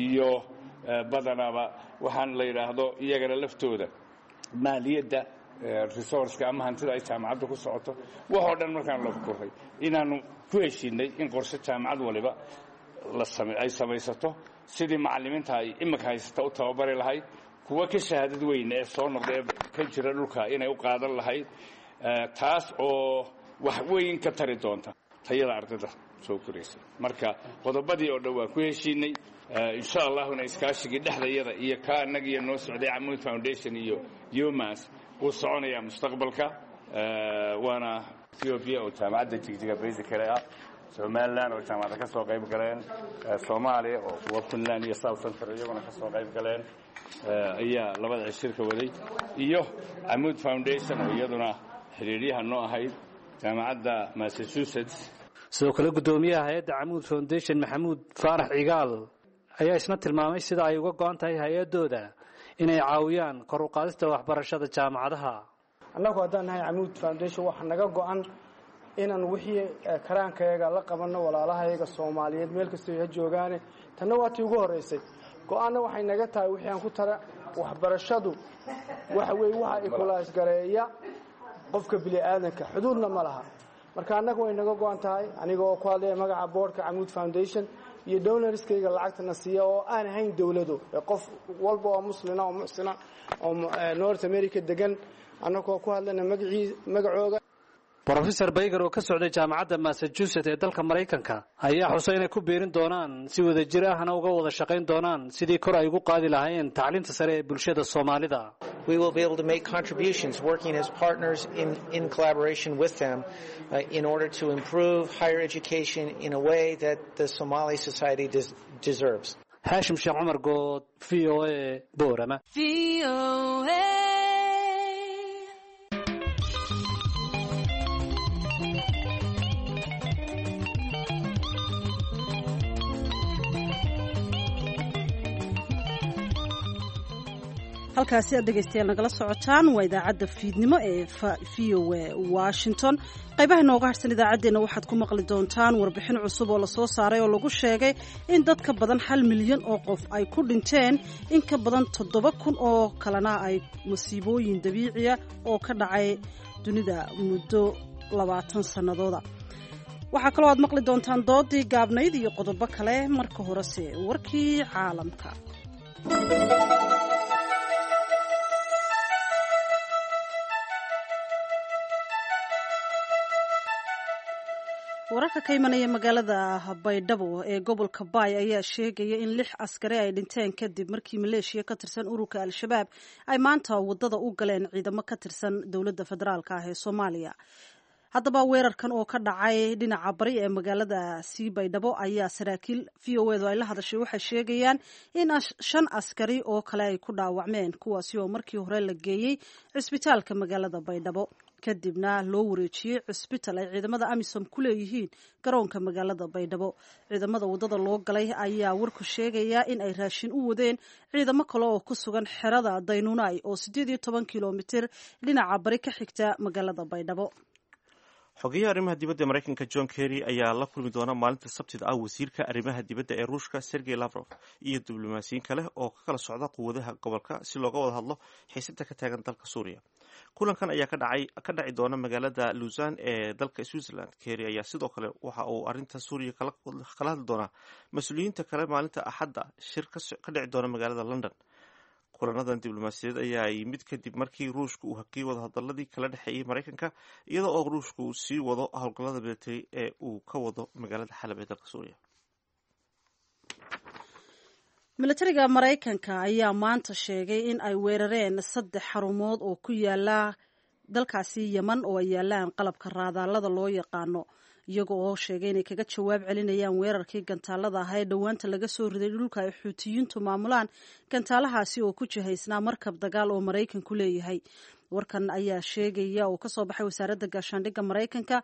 [SPEAKER 15] iyo badanaaba waxaan la yidhaahdo iyagana laftooda maaliyadda, resourceka ama hantida ay jaamacaddu ku socoto. Waxoo dhan markaan la kuray inaannu ku heshiinay in qorshe jaamacad waliba ay samaysato sidii macallimiinta ay iminka haysata u tababari lahayd, kuwa ka shahaadad weyn ee soo noqda ee ka jira dhulka inay u qaadan lahayd, taas oo wax weyn ka tari doonta tayada ardayda soo koraysa. Marka qodobadii oo dhan waan ku heshiinay, insha allahuna iskaashigii dhexdayada iyo ka annagiiyo noo socday Camuud Foundation iyo UMass wuu soconayaa mustaqbalka. Waana Ethiopia oo jaamacadda Jigjiga basically ah, Somaliland oo jaamacada ka soo qayb galeen, Soomaaliya oo kuwa Puntland iyo South Central iyaguna ka soo qayb galeen ayaa labada cishirka waday, iyo Camuud Foundation oo iyaduna xiriiryaha noo ahayd jaamacadda Massachusetts.
[SPEAKER 6] Sidoo kale guddoomiyaha hay-adda Camuud Foundation Maxamuud Faarax Cigaal ayaa isna tilmaamay sida ay uga go-an tahay hay-addooda inay caawiyaan kor u qaadista waxbarashada jaamacadaha.
[SPEAKER 16] Annagu haddaan nahay Camuud Foundation waxaa naga go-an inaan wixii karaankayaga la qabanno walaalahayaga Soomaaliyeed meel kastoo ha joogaane. Tanna waa tii ugu horraysay. Go-aanna waxay naga tahay wixii aan ku tara waxbarashadu waxa weeye waxa ikulaasgareeya qofka bini'aadanka, xuduudna ma laha. Marka annaga way naga go-an tahay, aniga oo ku hadlaya magaca boardka Camuud Foundation iyo donorskayga lacagtana siiya oo aan ahayn dowlado, qof walba oo muslina oo muxsina oo North America degan, annagoo ku hadlayna magacii magacooga.
[SPEAKER 6] Brofesor Bayger oo ka socday jaamacadda Massachusetts ee dalka Maraykanka ayaa xusay inay ku biirin doonaan si wadajir ahna uga wada shaqayn doonaan sidii kor ay ugu qaadi lahaayeen tacliinta sare ee bulshada Soomaalida.
[SPEAKER 17] We will be able to make contributions working as partners in, in collaboration with them uh, in order to improve higher education in a way that the Somali society des deserves.
[SPEAKER 6] Haashim Sheekh Cumar Good, V O A, Boorama.
[SPEAKER 1] Halkaasi aad dhegaystayaal nagala socotaan waa idaacadda fiidnimo ee V O A Washington. Qaybaha nooga harsan idaacaddeenna waxaad ku maqli doontaan warbixin cusub oo lasoo saaray oo lagu sheegay in dad ka badan hal milyan oo qof ay ku dhinteen, in ka badan toddoba kun oo kalena ay masiibooyin dabiiciya oo ka dhacay dunida muddo labaatan sannadooda. Waxaa kaloo aad maqli doontaan doodii gaabnayd iyo qodobo kale. Marka horese warkii caalamka. Wararka ka imanaya magaalada Baydhabo ee gobolka Baay ayaa sheegaya in lix askari ay dhinteen kadib markii maleeshiya ka tirsan ururka Al-Shabaab ay maanta wadada u galeen ciidamo ka tirsan dowladda federaalka ah ee Soomaaliya. Haddaba weerarkan oo ka dhacay dhinaca bari ee magaalada sii Baydhabo ayaa saraakiil V O edu ay la hadashay waxay sheegayaan in shan askari oo kale ay ku dhaawacmeen, kuwaasi oo markii hore la geeyey cisbitaalka magaalada Baydhabo, kadibna loo wareejiyey cisbital ay ciidamada AMISOM ku leeyihiin garoonka magaalada Baydhabo. Ciidamada wadada loo galay ayaa warku sheegaya in ay raashin u wadeen ciidamo kale oo ku sugan xerada Daynuunay oo siddeed iyo toban kilomitir dhinaca bari ka xigta magaalada Baydhabo.
[SPEAKER 2] Xogeyaha arrimaha dibadda ee Maraykanka John Kerry ayaa la kulmi doona maalinta Sabtida ah wasiirka arrimaha dibadda ee Ruushka Sergey Lavrov iyo diblomaasiyiin kale oo ka kala socda quwadaha gobolka si looga wada hadlo xiisada ka taagan dalka Suuriya. Kulankan ayaa ka dhacay ka dhaci doona magaalada Lausanne ee dalka Switzerland. Kerry ayaa sidoo kale waxa uu arrinta Suuriya kala kala hadli doonaa mas-uuliyiinta kale maalinta Axadda shir ka dhici doona magaalada London. Kulanadan diblomaasiyadeed ayaa yimid kadib markii Ruushku uu hakiyey wadahadaladii kala dhexeeyey Maraykanka, iyadoo oo Ruushku uu sii wado howlgallada military ee uu ka wado magaalada Xalab ee dalka Suuriya.
[SPEAKER 1] Militariga Maraykanka ayaa maanta sheegay in ay weerareen saddex xarumood oo ku yaala dalkaasi Yeman oo ay yaalaan qalabka raadaalada loo yaqaano, iyaga oo sheegay inay kaga jawaab celinayaan weerarkii gantaalada ahaa ee dhowaanta laga soo riday dhulka ay Xuutiyiintu maamulaan, gantaalahaasi oo ku jihaysnaa markab dagaal oo Maraykanku leeyahay. Warkan ayaa sheegaya oo kasoo baxay wasaaradda gaashaandhigga Maraykanka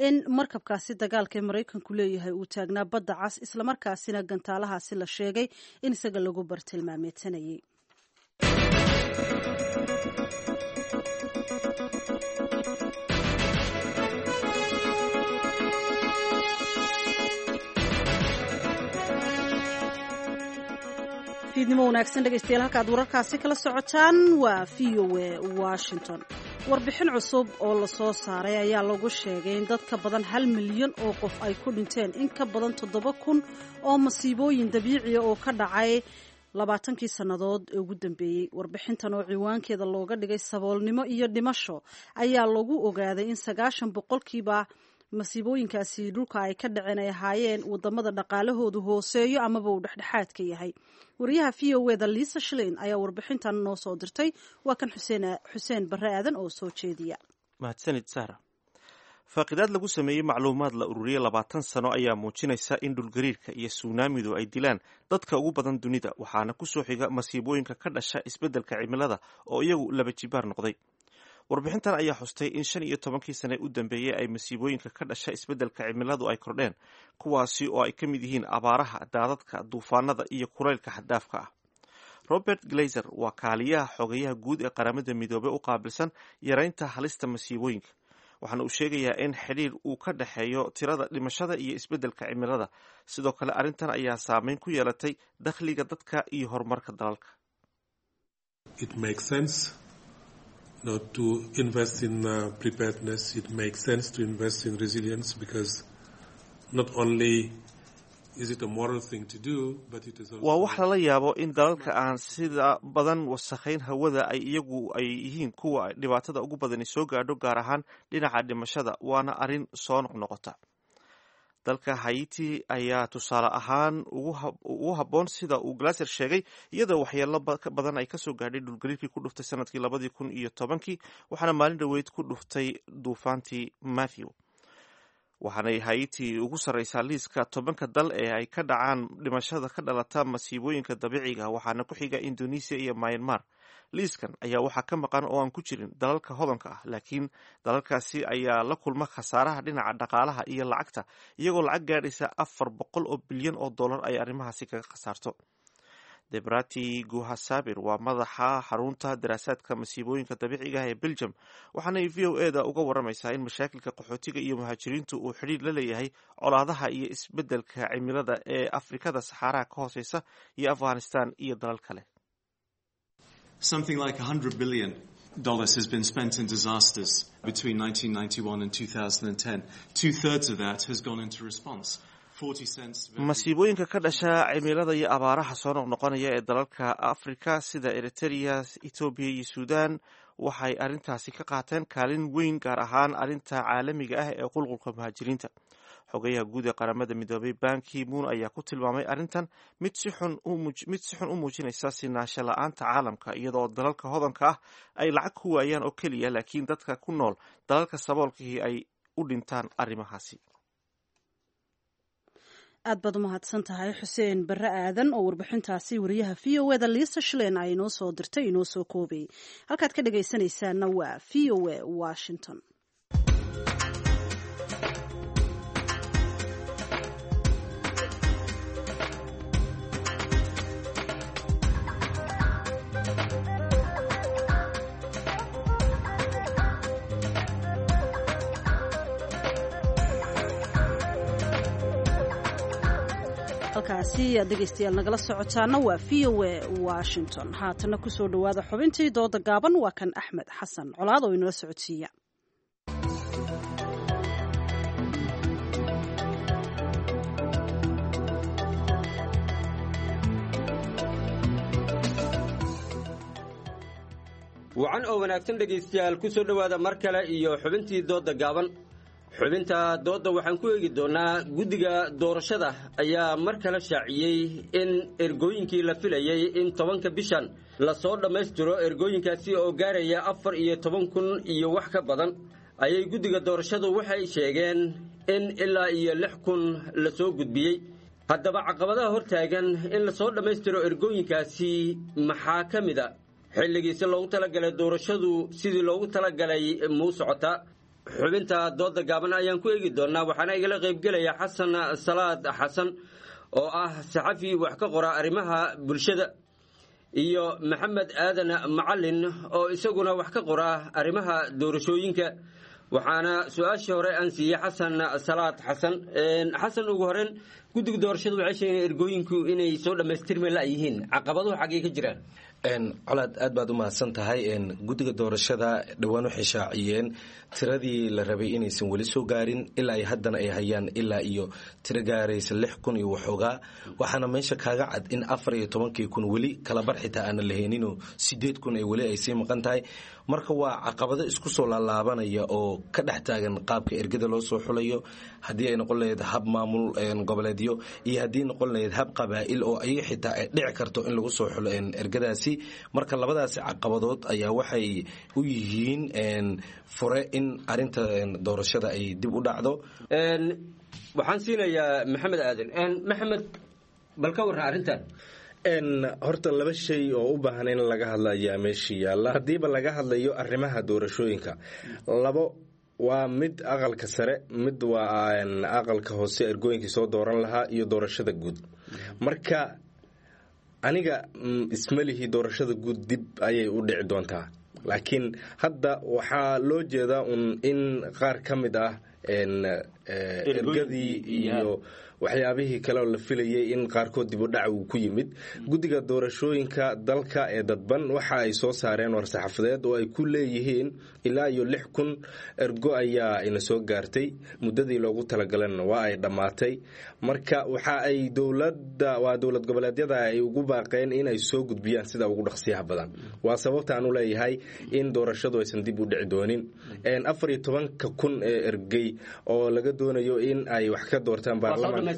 [SPEAKER 1] in markabkaasi dagaalka ee Maraykanku leeyahay uu taagnaa badda cas, islamarkaasina gantaalahaasi la sheegay in isaga lagu bartilmaameedsanayay. Fiidnimo wanaagsan dhegaystayaal, halkaad wararkaasi kala socotaan waa V O A Washington. Warbixin cusub oo lasoo saaray ayaa lagu sheegay in dad ka badan hal milyan oo qof ay ku dhinteen in ka badan toddoba kun oo masiibooyin dabiiciya oo ka dhacay labaatankii sannadood ee ugu dambeeyey. Warbixintan oo ciwaankeeda looga dhigay saboolnimo iyo dhimasho ayaa lagu ogaaday in sagaashan boqolkiiba masiibooyinkaasi dhulka ay ka dhaceen ay ahaayeen wadamada dhaqaalahoodu hooseeyo amaba uu dhexdhexaadka yahay. Wariyaha V O eda Lisa Shlein ayaa warbixintan noo soo dirtay. Waa kan Xuseen Xuseen Barre Aadan oo soo jeediya.
[SPEAKER 2] Mahadsanid Sahra. Faaqidaad lagu sameeyey macluumaad la ururiyey labaatan sano ayaa muujinaysa in dhulgariirka iyo suunaamidu ay dilaan dadka ugu badan dunida, waxaana ku soo xiga masiibooyinka ka dhasha isbeddelka cimilada oo iyagu laba jibaar noqday. Warbixintan ayaa xustay in shan iyo tobankii sane u dambeeyey ay masiibooyinka ka dhasha isbeddelka cimiladu ay kordheen, kuwaasi oo ay ka mid yihiin abaaraha, daadadka, duufaanada iyo kulaylka xaddaafka ah. Robert Glazer waa kaaliyaha xogayaha guud ee Qaramada Midoobey u qaabilsan yaraynta halista masiibooyinka, waxaana uu sheegayaa in xidhiir uu ka dhexeeyo tirada dhimashada iyo isbeddelka cimilada. Sidoo kale arrintan ayaa saameyn ku yeelatay dakhliga dadka iyo horumarka dalalka.
[SPEAKER 18] It makes sense not to invest in uh, preparedness. It makes sense to invest in resilience because not only is it a moral thing to do, but it is also
[SPEAKER 2] Waa wax lala yaabo in dalalka aan sida badan wasakhayn hawada ay iyagu ay yihiin kuwa dhibaatada ugu badani soo gaadho, gaar ahaan dhinaca dhimashada, waana arrin soo noqnoqota. Dalka Haiti ayaa tusaale ahaan ugu habboon, sida uu Glaser sheegay, iyadoo waxyeelo badan ay kasoo gaadhay dhulgariirkii ku dhuftay sanadkii labadii kun iyo tobankii, waxaana maalin dhoweyd ku dhuftay duufaantii Matthew. Waxaanay Haiti ugu sarreysaa liiska tobanka dal ee ay ka dhacaan dhimashada ka dhalata masiibooyinka dabiiciga, waxaana ku xiga Indonesia iyo Myanmar. Liiskan ayaa waxaa ka maqan oo aan ku jirin dalalka hodanka ah, laakiin dalalkaasi ayaa la kulma khasaaraha dhinaca dhaqaalaha iyo lacagta, iyagoo lacag gaadhaysa afar boqol oo bilyan oo dollar ay arrimahaasi kaga khasaarto. Debrati Guhasabir waa madaxa xarunta daraasaadka masiibooyinka dabiiciga ah ee Belgium, waxaanay V O E da uga waramaysaa in mashaakilka qaxootiga iyo muhaajiriintu uu xidhiir la leeyahay colaadaha iyo isbeddelka cimilada ee Afrikada Saxaaraha ka hooseysa iyo Afghanistan iyo dalal kale.
[SPEAKER 19] Something like one hundred billion dollars has been spent in disasters between nineteen ninety-one and twenty ten. Two thirds of that has gone into response.
[SPEAKER 2] Masiibooyinka ka dhasha cimilada iyo abaaraha soo noqnoqonaya ee dalalka Afrika sida Eritrea, Etoobiya iyo Suudan waxay arrintaasi ka qaateen kaalin weyn, gaar ahaan arrinta caalamiga ah ee qulqulka muhaajiriinta. Xogayaha guud ee Qaramada Midoobay Ban Ki-moon ayaa ku tilmaamay arrintan mid si xun mid si xun u muujinaysa sinaansho la-aanta caalamka, iyadoo dalalka hodanka ah ay lacag ku waayaan oo keliya, laakiin dadka ku nool dalalka saboolkihii ay u dhintaan arrimahaasi.
[SPEAKER 1] Aad baad u mahadsan tahay, Xuseen Barre Aadan, oo warbixintaasi wariyaha V O E da Lisa Schlein ay inoo soo dirtay inoo soo koobayay. Halkaad ka dhagaysanaysaana waa V O A Washington. Halkaasi aad dhegaystayaal nagala socotaana waa V O A Washington. Haatana kusoo dhowaada xubintii dooda gaaban. Waa kan Axmed Xasan Colaad oo inala socodsiiya.
[SPEAKER 20] Wacan oo wanaagsan, dhegaystayaal, ku soo dhowaada mar kale iyo xubintii doodda gaaban. Xubinta doodda waxaan ku eegi doonnaa guddiga doorashada ayaa mar kale shaaciyey in ergooyinkii la filayey in tobanka bishan lasoo dhammaystiro, ergooyinkaasi oo gaaraya afar iyo toban kun iyo wax ka badan, ayay guddiga doorashadu waxay sheegeen in ilaa iyo lix kun lasoo gudbiyey. Haddaba caqabadaha hortaagan in lasoo dhammaystiro ergooyinkaasi maxaa ka mid a? Xilligiisi loogu talagalay doorashadu sidii loogu talagalay muu socotaa? Xubinta dooda gaaban ayaan ku eegi doonnaa, waxaana igala qaybgelaya Xasan Salaad Xasan oo ah saxafi wax ka qora arrimaha bulshada iyo Maxamed Aadan Macalin oo isaguna wax ka qora arrimaha doorashooyinka. Waxaana su-aashii hore aan siiyey Xasan Salaad Xasan. Xasan, ugu horeen, guddiga doorashadu waxay sheegeen ergooyinku inay soo dhammaystirmi la'yihiin. Caqabaduhu xaggay ka jiraan?
[SPEAKER 21] Colaad, aad baad u mahadsan tahay. Guddiga doorashada dhowaan waxay shaaciyeen tiradii la rabay inaysan weli soo gaarin, ilaa ay haddana ay hayaan ilaa iyo tiro gaaraysa lix kun iyo waxoogaa. Waxaana meesha kaaga cad in afar iyo tobankii kun weli kalabar xitaa aanan la heeninoo sideed kun ay weli ay sii maqan tahay. Marka waa caqabado isku soo laalaabanaya oo ka dhex taagan qaabka ergada loo soo xulayo, haddii ay noqon lahayd hab maamul goboleedyo iyo haddii noqon lahayd hab qabaa'il oo ayaga xitaa ay dhici karto in lagu soo xulo ergadaasi. Marka labadaasi caqabadood ayaa waxay u yihiin fure in arinta doorashada ay dib u dhacdo.
[SPEAKER 20] Waxaan siinayaa Maxamed Aadan. Maxamed, bal ka warran arrintan.
[SPEAKER 21] Horta laba shay oo u baahan in laga hadla ayaa meesha yaalla haddiiba laga hadlayo arrimaha doorashooyinka. Labo waa mid aqalka sare, mid waa aqalka hoose, ergooyinkii soo dooran lahaa iyo doorashada guud. Marka aniga ismalihi doorashada guud dib ayay u dhici doontaa, laakiin hadda waxaa loo jeedaa un in qaar ka mid ah ergadii iyo waxyaabihii kale oo la filayay in qaarkood dib u dhac uu ku yimid. Guddiga doorashooyinka dalka ee dadban waxa ay soo saareen war-saxaafadeed oo ay ku leeyihiin ilaa iyo lix kun ergo ayaa ina soo gaartay, muddadii loogu talagalana waa ay dhammaatay. Marka waxa ay dowladda, waa dowlad goboleedyada, ay ugu baaqeen in ay soo gudbiyaan sida ugu dhaqsiyaha badan. Waa sababta aan u leeyahay in doorashadu aysan dib u dhici doonin. Afar iyo tobanka kun ee ergey oo laga doonayo in ay wax ka doortaan baarlamaan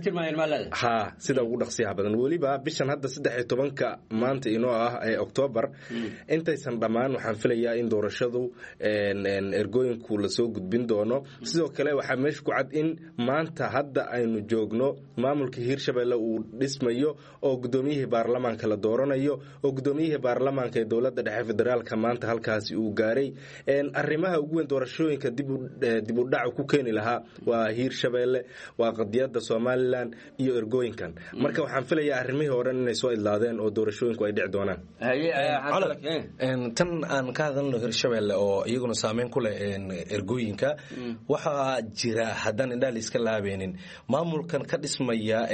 [SPEAKER 21] ha sida ugu dhaqsiyaha badan, weliba bishan hadda saddex iyo tobanka maanta inoo ah ee Oktoobar intaysan dhammaan, waxaan filayaa in doorashadu ergooyinku lasoo gudbin doono. Sidoo kale waxaa meesha ku cad in maanta hadda aynu joogno maamulka Hiirshabelle uu dhismayo oo guddoomiyihii baarlamaanka la dooranayo, oo guddoomiyihii baarlamaanka ee dowladda dhexe federaalka maanta halkaasi uu gaaray. Arrimaha ugu weyn doorashooyinka dib u dhacu ku keeni lahaa waa Hiirshabelle, waa qadiyadda Soomaaliya. Somalilan iyo ergooyinkan. Marka waxaan filayaa arrimihii oo dhan inay soo idlaadeen oo doorashooyinku ay dhici doonaan.
[SPEAKER 5] Tan aan ka hadalno Hirshabelle oo iyaguna saameyn ku leh ergooyinka, waxaa jira haddaan indhaha la iska laabeynin maamulkan ka dhismaya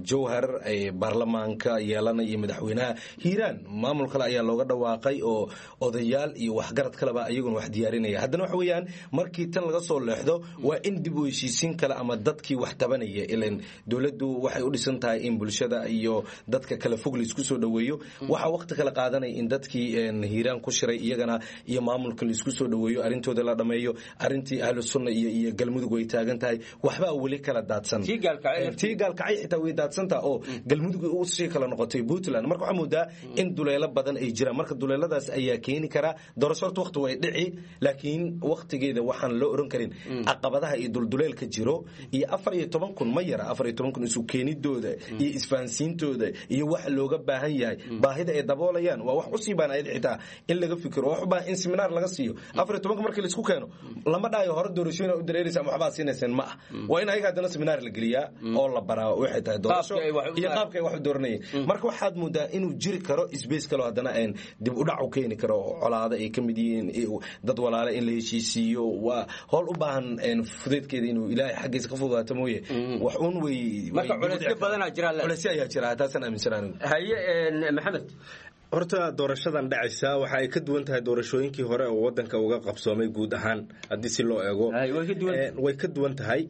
[SPEAKER 5] Jowhar, baarlamaanka yeelanaya iyo madaxweynaha. Hiiraan maamul kale ayaa looga dhawaaqay oo odayaal iyo waxgarad kaleba iyaguna wax diyaarinaya. Haddana waxa weeyaan markii tan laga soo leexdo waa in dib u heshiisiin kale ama dadkii wax tabanaya, ilan dowladdu waxay u dhisan tahay in bulshada iyo dadka kale fog laisku soo dhoweeyo. Waxaa waqti kale qaadanaya in dadkii Hiiraan ku shiray iyagana iyo maamulka laisku soo dhoweeyo, arrintooda la dhameeyo. Arrintii Ahlu Sunna iyo iyo Galmudug way taagan tahay, waxbaa weli kala daadsan. Tii Gaalkacay xitaa way daadsantaa oo Galmudug usii kala noqotay Puntland. Marka waxaa moodaa in duleelo badan ay jiraan. Marka duleeladaas ayaa keeni karaa doorasho. Horta waqti way dhici, laakiin waqtigeeda waxaan loo oran karin caqabadaha iyo dulduleelka jiro iyo afar iyo toban kun ma yara. Afar iyo toban kun isu keenidooda iyo isfahansiintooda iyo waxa looga baahan yahay, baahida ay daboolayaan waa wax usii baan ayad xitaa in laga fikiro, wax u baahan in seminaar laga siiyo. Afar iyo tobanka markii laisku keeno lama dhahayo hore doorashooyin u dareeraysa ama waxbaa siinayseen, ma ah. Waa in ayaga haddana seminaar la geliyaa oo la baraa waxay tahay doorasho iyo qaabka ay wax u dooranayeen. Marka waxaad moodaa inuu jiri karo space kale oo haddana een dib u dhac u keeni karo oo colaado ay ka mid yihiin dad walaale in la heshiisiiyo. Waa howl u baahan fudeydkeeda inuu Ilaahay xaggiisa ka fududaato mooye wax uun way.
[SPEAKER 20] Marka culeysyo badanaa jira.
[SPEAKER 5] Culeysyo ayaa jira, taasaan aaminsan anigu.
[SPEAKER 20] Haye Maxamed.
[SPEAKER 21] Horta doorashadan dhacaysa waxa ay ka duwan tahay doorashooyinkii hore oo wadanka uga qabsoomay guud ahaan. Haddii si loo eego way ka duwan tahay.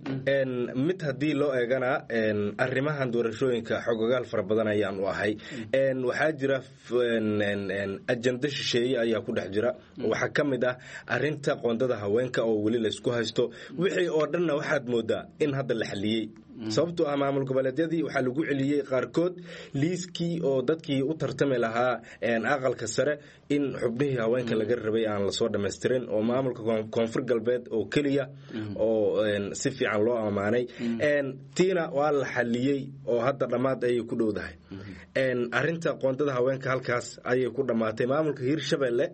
[SPEAKER 21] Mid haddii loo eegana arrimahan doorashooyinka xogogaal fara badan ayaan u ahay. Waxaa jira ajando shisheeye ayaa ku dhex jira. Waxaa ka mid ah arrinta qoondada haweenka oo weli laysku haysto. Wixii oo dhanna waxaad moodaa in hadda la xaliyey, sababtoo ah maamul goboleedyadii waxaa lagu celiyey qaarkood liiskii oo dadkii u tartami lahaa aqalka sare in xubnihii haweenka laga rabay aan lasoo dhammaystirin, oo maamulka Koonfur Galbeed oo keliya oo si fiican loo ammaanay. Tiina waa la xaliyey oo hadda dhammaad ayay ku dhowdahay. Arrinta qoondada haweenka halkaas ayay ku dhammaatay. Maamulka Hiirshabelle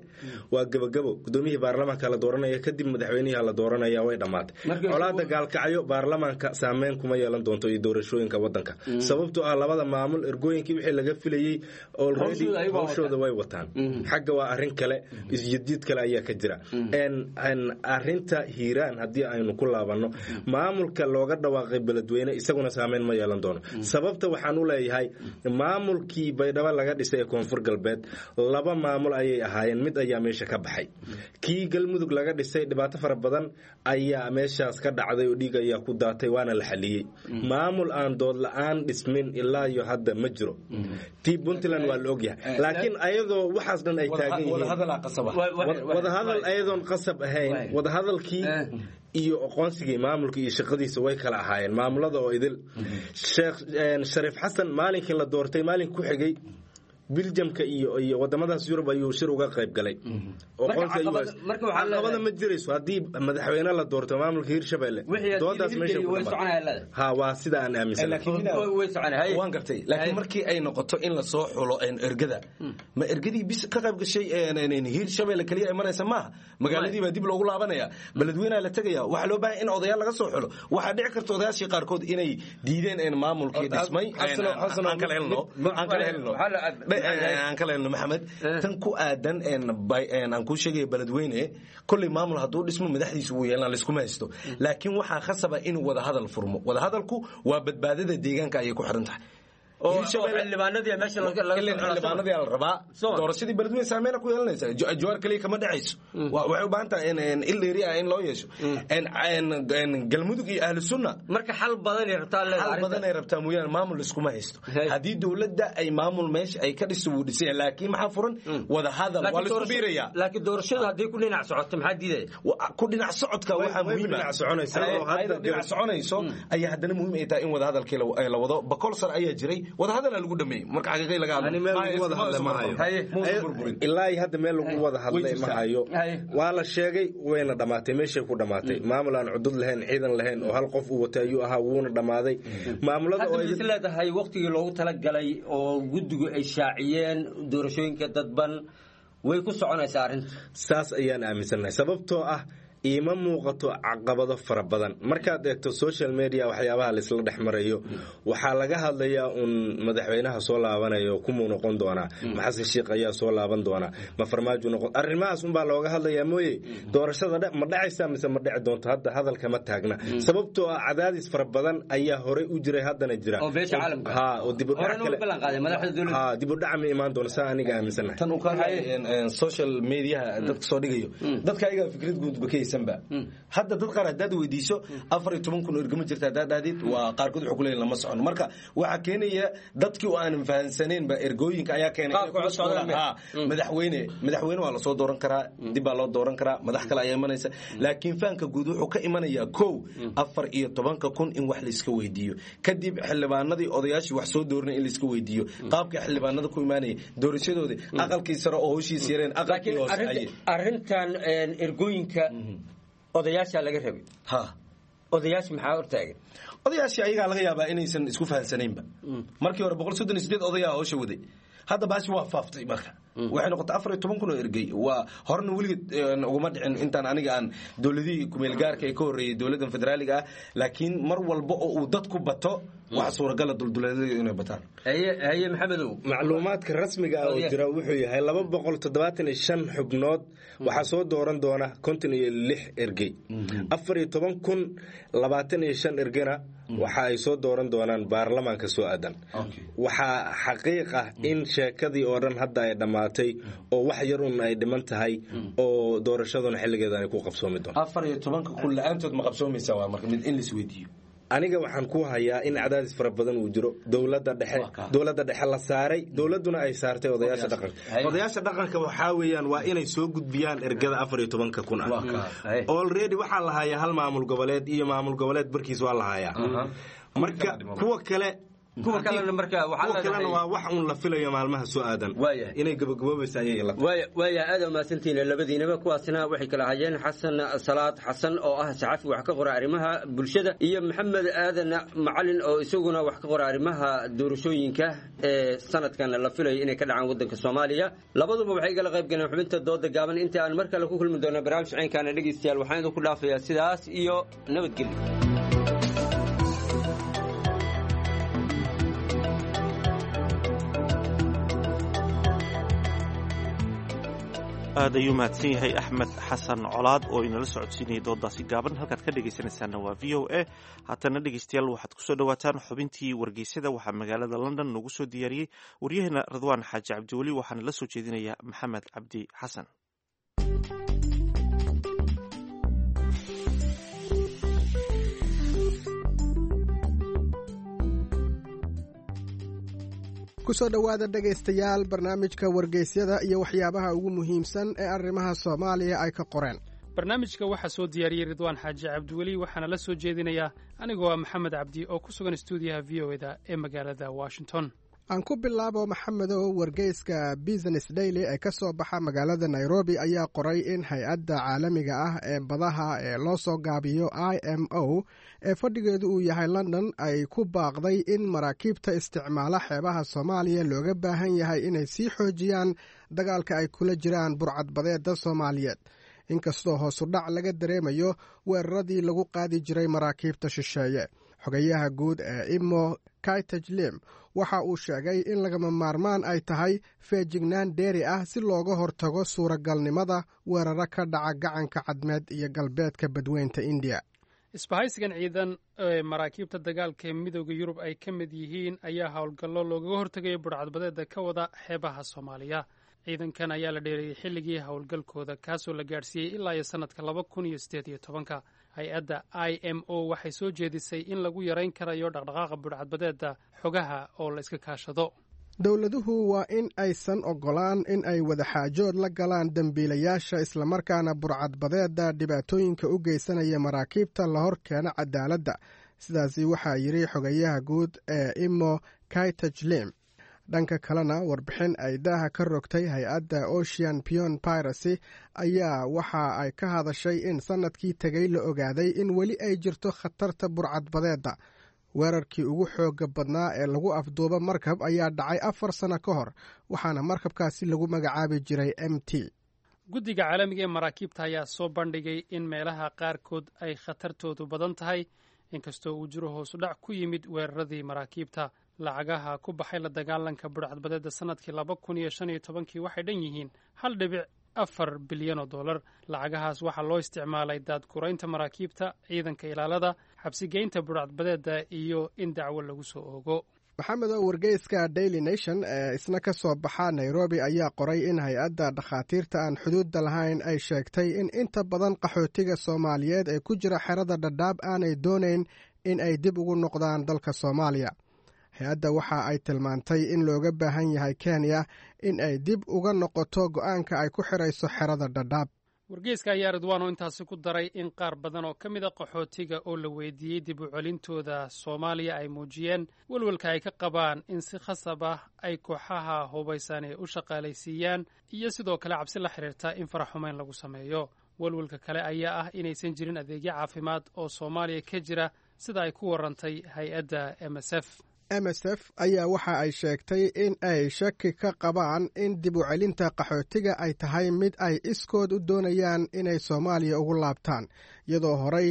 [SPEAKER 21] waa gebagabo, gudoomiyihii baarlamaanka la dooranaya, kadib madaxweynihii la dooranaya, way dhammaatay. Colaada Gaalkacyo baarlamaanka saameyn kuma yeelan doonto iyo doorashooyinka wadanka, sababtoo ah labada maamul ergooyinkii wixii laga filayey already hawshooda way wataan. Xagga waa arrin kale, isjidjiid kale ayaa ka jira. Arrinta Hiiraan haddii aynu ku laabanno, maamulka looga dhawaaqay Beledweyne isaguna saameyn ma yeelan doono. Sababta waxaan u leeyahay maamulkii Baydhabo laga dhisay ee Koonfur Galbeed laba maamul ayay ahaayeen, mid ayaa meesha ka baxay. Kii Galmudug laga dhisay dhibaato fara badan ayaa meeshaas ka dhacday oo dhiig ayaa ku daatay, waana la xaliyey. Maamul aan dood la-aan dhismin ilaa iyo hadda ma jiro. Tii Puntland waa la ogyahay, laakiin ayadoo waxaas dhan ay taagan yihiin wadahadal ayadoon qasab ahayn, wadahadalkii iyo aqoonsigii maamulka iyo shaqadiisa way kala ahaayeen maamulada oo idil. Sheekh Shariif Xasan maalinkii la doortay maalin ku xigay Biljamka iyo iyo wadamadaas Yurub ayuu shir uga qayb galay. Caqabada ma jirayso haddii madaxweyne la doorto maamulka Hiirshabelle, doodaas meesha ku ha waa sida aan aaminsanahay.
[SPEAKER 5] Waan gartay, laakiin markii ay noqoto in la soo xulo ergada, ma ergadii bis ka qayb gashay Hiirshabelle kaliya ay maraysa maaha. Magaaladii baa dib loogu laabanaya, beledweynaha la tegaya, waxaa loo baahan in odayaal laga soo xulo. Waxaa dhici karta odayaashii qaarkood inay diideen maamulkii dhismay. Aan kala helno, aan kala helno, aan kala helno Maxamed. Tan ku aadan aan kuu sheegaya Beledweyne, kolley maamul hadduu dhismo madaxdiisu wuu yeelan, layskuma haysto, laakiin waxaa khasaba inuu wadahadal furmo. Wadahadalku waa badbaadada deegaanka ayay ku xiran tahay. Xildhibaanadii la rabaa doorashadii Beledweyne saameyna ku yeelanaysa. Jawaar kaliya kama dhacayso, waxay u baahan tahay il dheeri ah in loo yeesho Galmudug iyo Ahlu Sunna.
[SPEAKER 20] Marka xal badan ay rabtaa,
[SPEAKER 5] xal badan ay rabtaa mooyaane maamul iskuma haysto. Haddii dowladda ay maamul meesha ay ka dhiso wuu dhisaya, laakiin maxaa furan? Wadahadal waa laisku biirayaa.
[SPEAKER 20] Laakiin doorashadu haddii ku dhinac socoto maxaa diidaya?
[SPEAKER 5] Ku dhinac socodka waxaa muhiim ah dhinac soconayso ayaa haddana muhiim ay tahay in wadahadalkii la wado. Boqol sano ayaa jiray wadahadal lagu dhameeyey, marka xaqiiqay laga hadlo
[SPEAKER 21] ilaa hadda meel lagu wada hadlay ma hayo. Waa la sheegay wayna dhammaatay, meeshay ku dhammaatay. Maamul aan cudud lahayn, ciidan lahayn oo hal qof uu watay ayuu ahaa, wuuna dhammaaday maamulada.
[SPEAKER 20] Oo is leedahay waqtigii loogu talagalay oo guddigu ay shaaciyeen doorashooyinka dadban way ku soconaysaa arrinta?
[SPEAKER 21] Saas ayaan aaminsannahay, sababtoo ah Iima muuqato caqabado fara badan. Markaad eegto social media, waxyaabaha laisla dhex marayo, waxaa laga hadlayaa uun madaxweynaha soo laabanayo kumuu noqon doonaa, ma Xasan Sheikh ayaa soo laaban doonaa, ma Farmaajo noqon, arrimahaas unbaa looga hadlayaa mooye doorashada ma dhacaysa mise ma dhici doonto hadda hadalka ma taagna, sababtoo ah cadaadis fara badan ayaa horey u jiray, haddana jira ha oo dib u dhac ma imaan doono, saa aniga aaminsanahay.
[SPEAKER 5] Tan uu ka hadlay social mediaha dadka soo dhigayo, dadka ayaga fikrad guud ba ka haysanba. Hadda dad qaar haddaad weydiiso afar iyo toban kun oo ergama jirta haddaad dhahdid, waa qaarkood wuxuu ku leeyahay lama socono. Marka waxaa keenaya dadkii oo aanan fahansaneenba ergooyinka ayaa keenay. Madaxweyne madaxweyne waa lasoo dooran karaa, dib baa loo dooran karaa, madax kale ayaa imanaysa, laakiin fahanka guud wuxuu ka imanayaa kow afar iyo tobanka kun in wax layska weydiiyo, kadib xildhibaanadii odayaashii wax soo dooranay in layska weydiiyo qaabka xildhibaanada ku imaanaya, doorashadoodii, aqalkii sare oo howshiis yareen, aqalkii hoose.
[SPEAKER 20] Arrintan ergooyinka odayaasha laga rabay,
[SPEAKER 5] ha
[SPEAKER 20] odayaasha maxaa hortaagan?
[SPEAKER 5] Odayaashii ayagaa laga yaabaa inaysan isku fahansanaynba. Markii hore boqol soddon iyo sideed odayaa howsha waday, hadda baashi waa faaftay. Marka waxay noqotay afar iyo toban kun oo ergey. Waa horena weligeed uguma dhicin intaan aniga aan dowladihii kumeel gaarka ee ka horreeyey dowladdan federaaliga ah, laakiin mar walba oo uu dadku bato waxa suuragala dulduleedyadu inay bataan.
[SPEAKER 20] Haye Maxamedow.
[SPEAKER 21] Macluumaadka rasmiga ah oo jira wuxuu yahay laba boqol toddobaatan iyo shan xubnood waxaa soo dooran doona konton iyo lix ergey, afar iyo toban kun labaatan iyo shan ergena waxa ay soo dooran doonaan baarlamaanka soo aadan. Waxaa xaqiiq ah in sheekadii oo dhan hadda ay dhammaatay oo wax yarun ay dhiman tahay oo doorashaduna xilligeeda ay ku qabsoomi doonto.
[SPEAKER 5] Afar iyo tobanka kun la-aantood ma qabsoomaysa? Waa marka mid in la isweydiiyo.
[SPEAKER 21] Aniga waxaan ku hayaa in cadaadis fara badan uu jiro, dowladda dhexe dowladda dhexe la saaray, dowladduna ay saartay odayaasha dhaqanka. Odayaasha dhaqanka waxaa weeyaan waa inay soo gudbiyaan ergada afar iyo tobanka kun ah. Already waxaa la hayaa hal maamul goboleed iyo maamul goboleed barkiis waa la hayaa, marka kuwa kale
[SPEAKER 20] kuwa kalena marka
[SPEAKER 21] kuwa kalena waa wax uun la filayo maalmaha soo aadan inay gabagaboobaysa ayay la
[SPEAKER 20] waaya waaya aad umahadsantihiin labadiinaba. Kuwaasna waxay kala hayeen Xasan Salaad Xasan oo ah saxafi wax ka qora arrimaha bulshada, iyo Maxamed Aadan Macalin oo isaguna wax ka qora arrimaha doorashooyinka ee sanadkan la filayo inay ka dhacaan waddanka Soomaaliya. Labaduba waxay igala qayb galeen xubinta dooda gaaban. Inta aan mar kale ku kulmi doono barnaamij caynkaana, dhegeystayaal, waxaan idinku dhaafayaa sidaas iyo nabadgelyo.
[SPEAKER 2] Aad ayuu mahadsan yahay Axmed Xasan Colaad oo inala socodsiinayay doodaasi gaaban. Halkaad ka dhegaysanaysaana waa V O A. Haatana dhegeystayaal, waxaad kusoo dhawaataan xubintii wargeysyada. Waxaa magaalada London noogu soo diyaariyey waryaheena Radwaan Xaaji Cabdiweli, waxaana la soo jeedinaya Maxamed Cabdi Xasan.
[SPEAKER 3] Kusoo dhowaada dhegaystayaal barnaamijka wargeysyada iyo waxyaabaha ugu muhiimsan ee arrimaha Soomaaliya ay ka qoreen.
[SPEAKER 6] Barnaamijka waxaa soo diyaariyey Ridwaan Xaaji Cabdiweli, waxaana la soo jeedinayaa anigoo ah Maxamed Cabdi oo ku sugan stuudiyaha V O eda ee magaalada Washington.
[SPEAKER 3] Aan ku bilaabo Maxamedow, wargeyska Business Daily ee ka soo baxa magaalada Nairobi ayaa qoray in hay-adda caalamiga ah ee badaha ee loo soo gaabiyo I M O ee fadhigeedu uu yahay London ay ku baaqday in maraakiibta isticmaala xeebaha Soomaaliya looga baahan yahay inay sii xoojiyaan dagaalka ay kula jiraan burcadbadeeda Soomaaliyeed, inkastoo hoosudhac laga dareemayo weeraradii lagu qaadi jiray maraakiibta shisheeye. Xogayaha guud ee Imo, Kaitajlim, waxa uu sheegay in lagama maarmaan ay tahay feejignaan dheeri ah si looga hortago suuragalnimada weeraro ka dhaca gacanka Cadmeed iyo galbeedka badweynta Indiya.
[SPEAKER 6] Isbahaysigan ciidan ee maraakiibta dagaalka ee Midooda Yurub ay ka mid yihiin ayaa howlgallo loogaga hortegayo burcadbadeeda ka wada xeebaha Soomaaliya. Ciidankan ayaa la dheereeyey xilligii howlgalkooda, kaasoo la gaadhsiiyey ilaa iyo sannadka laba kun iyo siddeed iyo tobanka. Hay-adda I M O waxay soo jeedisay in lagu yarayn karayo dhaqdhaqaaqa budhcadbadeeda xogaha oo la iska kaashado.
[SPEAKER 3] Dowladuhu waa in aysan oggolaan in ay wadaxaajood la galaan dembiilayaasha, islamarkaana burcadbadeeda dhibaatooyinka u geysanaya maraakiibta la hor keena cadaaladda. Sidaasi waxaa yidhi xogayaha guud ee Imo, Kaitajlim. Dhanka kalena, warbixin ay daaha ka rogtay hay-adda Ocean Pion Piracy ayaa waxa ay ka hadashay in sannadkii tegay la ogaaday in weli ay jirto khatarta burcadbadeedda. Weerarkii ugu xooga badnaa ee lagu afduubo markab ayaa dhacay afar sano ka hor, waxaana markabkaasi lagu magacaabi jiray M T.
[SPEAKER 6] Guddiga caalamiga ee maraakiibta ayaa soo bandhigay in meelaha qaarkood ay khatartoodu badan tahay, inkastoo uu jiro hoosudhac ku yimid weeraradii maraakiibta. Lacagaha ku baxay la dagaalanka budhcadbadeedda sannadkii laba kun iyo shan iyo tobankii waxay dhan yihiin hal dhibic afar bilyan oo dollar. Lacagahaas waxaa loo isticmaalay daadguraynta maraakiibta, ciidanka ilaalada, xabsigeynta budhcadbadeedda iyo in dacwo lagu soo oogo.
[SPEAKER 3] Maxamed oo wargeyska Daily Nation ee isna ka soo baxa Nairobi ayaa qoray in hay-adda dhakhaatiirta aan xuduudda lahayn ay sheegtay in inta badan qaxootiga Soomaaliyeed ee ku jira xerada Dhadhaab aanay doonayn in ay dib ugu noqdaan dalka Soomaaliya. Hay-adda waxa ay tilmaantay in looga baahan yahay Kenya in ay dib uga noqoto go'aanka ay ku xirayso xerada Dhadhaab.
[SPEAKER 6] Wargeyska ayaa Ridwaano intaasi ku daray in qaar badan oo ka mid a qaxootiga oo la weydiiyey dib u celintooda Soomaaliya ay muujiyeen welwelka ay ka qabaan in si khasab ah ay kooxaha hubaysan ee u shaqaalaysiiyaan, iyo sidoo kale cabsi la xiriirta in faraxumeyn lagu sameeyo. Welwelka kale ayaa ah inaysan jirin adeegyo caafimaad oo Soomaaliya ka jira, sida ay ku warantay hay-adda M S F.
[SPEAKER 3] M S F ayaa waxa ay sheegtay in ay shaki ka qabaan in dib u celinta qaxootiga ay tahay mid ay iskood u doonayaan inay Soomaaliya ugu laabtaan, iyadoo horey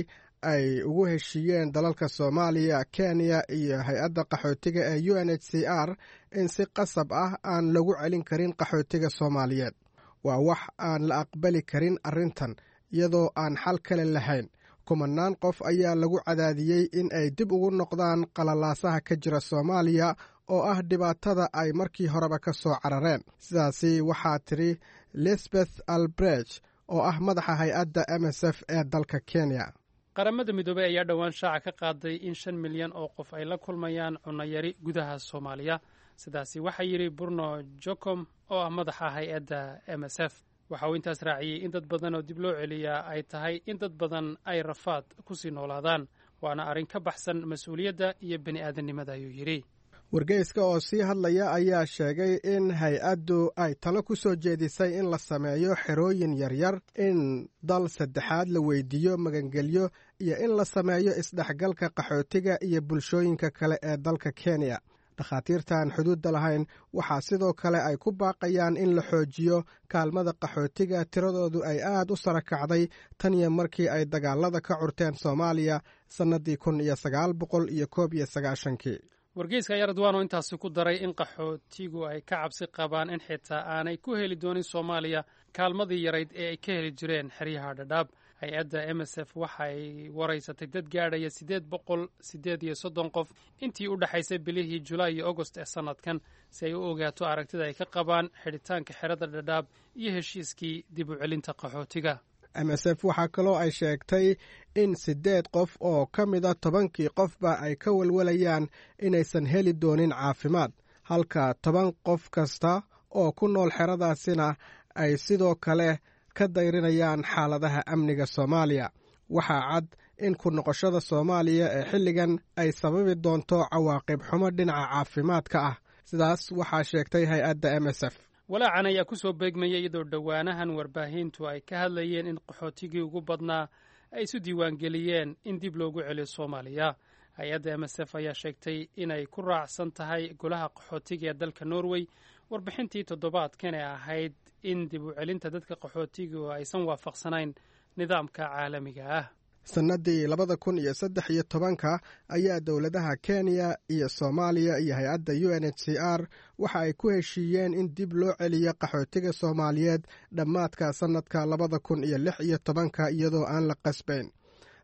[SPEAKER 3] ay ugu heshiiyeen dalalka Soomaaliya, Kenya iyo hay-adda qaxootiga ee U N H C R in si qasab ah aan lagu celin karin qaxootiga Soomaaliyeed. Waa wax aan la aqbali karin arrintan, iyadoo aan xal kale lahayn. Kumanaan qof ayaa lagu cadaadiyey in ay dib ugu noqdaan qalalaasaha ka jira Soomaaliya oo ah dhibaatada ay markii horeba ka soo carareen. Sidaasi waxaa tidhi Lisbeth Albrecht oo ah madaxa hay-adda M S F ee dalka Kenya.
[SPEAKER 6] Qaramada Midoobey ayaa dhowaan shaaca ka qaaday in shan milyan oo qof ay la kulmayaan cunayari gudaha Soomaaliya. Sidaasi waxaa yidhi Bruno Jocom oo ah madaxa hay-adda M S F. Waxa uu intaas raaciyey in dad badan oo dib loo celiyaa ay tahay in dad badan ay rafaad ku sii noolaadaan, waana arrin ka baxsan mas-uuliyadda iyo bini aadannimada, ayuu yidhi.
[SPEAKER 3] Wargeyska oo sii hadlaya ayaa sheegay in hay-addu ay talo ku soo jeedisay in la sameeyo xerooyin yaryar, in dal saddexaad la weydiiyo magangelyo iyo in la sameeyo isdhexgalka qaxootiga iyo bulshooyinka kale ee dalka Kenya. Dhakhaatiirtaan xuduudda lahayn waxaa sidoo kale ay ku baaqayaan in la xoojiyo kaalmada qaxootiga tiradoodu ay aad u sara kacday tan iyo markii ay dagaalada ka curteen Soomaaliya sannadii kun iyo sagaal boqol iyo koob iyo sagaashankii.
[SPEAKER 6] Wargeyska ayaa, Ridwaano, intaasi ku daray in qaxootigu ay ka cabsi qabaan in xitaa aanay ku heli doonin Soomaaliya kaalmadii yarayd ee ay ka heli jireen xeryaha Dhadhaab. Hay-adda M S F waxay waraysatay dad gaadhaya siddeed boqol siddeed iyo soddon qof intii u dhexaysay bilihii Julaay iyo Agost ee sannadkan, si ay u ogaato aragtida ay ka qabaan xidhitaanka xerada Dhadhaab iyo heshiiskii dib u celinta qaxootiga.
[SPEAKER 3] M S F waxaa kaloo ay sheegtay in siddeed qof oo ka mida tobankii qofba ay ka walwalayaan inaysan heli doonin caafimaad, halka toban qof kasta oo ku nool xeradaasina ay sidoo kale ka dayrinayaan xaaladaha amniga Soomaaliya. Waxaa cad in ku noqoshada Soomaaliya ee xilligan ay sababi doonto cawaaqib xumo dhinaca caafimaadka ah. Sidaas waxaa sheegtay hay-adda M S F.
[SPEAKER 6] Walaacan ayaa ku soo beegmaya iyadoo dhowaanahan warbaahintu ay ka hadlayeen in qaxootigii ugu badnaa ay isu diiwaangeliyeen in dib loogu celiyo Soomaaliya. Hay-adda M S F ayaa sheegtay inay ku raacsan tahay golaha qaxootiga ee dalka Norway warbixintii toddobaadkan ee ahayd in dib u celinta dadka qaxootigu aysan waafaqsanayn nidaamka caalamiga ah.
[SPEAKER 3] Sannadii labada kun iyo saddex iyo tobanka ayaa dowladaha Kenya iyo Soomaaliya iyo hay-adda U N H C R waxa ay ku heshiiyeen in dib loo celiyo qaxootiga Soomaaliyeed dhammaadka sannadka labada kun iyo lix iyo tobanka, iyadoo aan la qasbayn.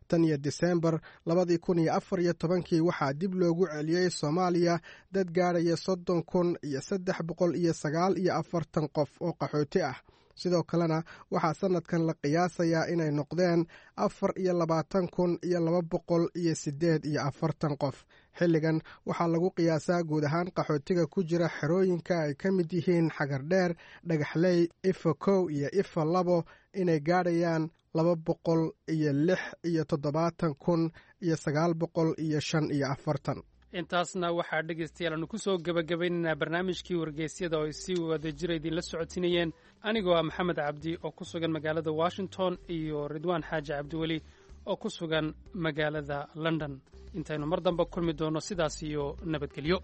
[SPEAKER 3] Tan iyo Disembar labadii kun iyo afar iyo tobankii waxaa dib loogu celiyey Soomaaliya dad gaadhaya soddon kun iyo saddex boqol iyo sagaal iyo afartan qof oo qaxooti ah. Sidoo kalena waxaa sannadkan la qiyaasayaa inay noqdeen afar iyo labaatan kun iyo laba boqol iyo siddeed iyo afartan qof. Xilligan waxaa lagu qiyaasaa guud ahaan qaxootiga ku jira xerooyinka ay ka mid yihiin Xagardheer, Dhagaxley, Ifa kow iyo Ifa labo inay gaadhayaan laba boqol iyo lix iyo toddobaatan kun iyo sagaal boqol iyo shan iyo afartan.
[SPEAKER 6] Intaasna waxaa, dhegaystayaal, aanu ku soo gebagabaynaynaa barnaamijkii wargeysyada oo ay si wadajira idinla socodsiinayeen anigoo ah Maxamed Cabdi oo ku sugan magaalada Washington iyo Ridwaan Xaaji Cabdiweli oo ku sugan magaalada London. Intaynu mar dambe kulmi doonno, sidaas iyo nabadgelyo.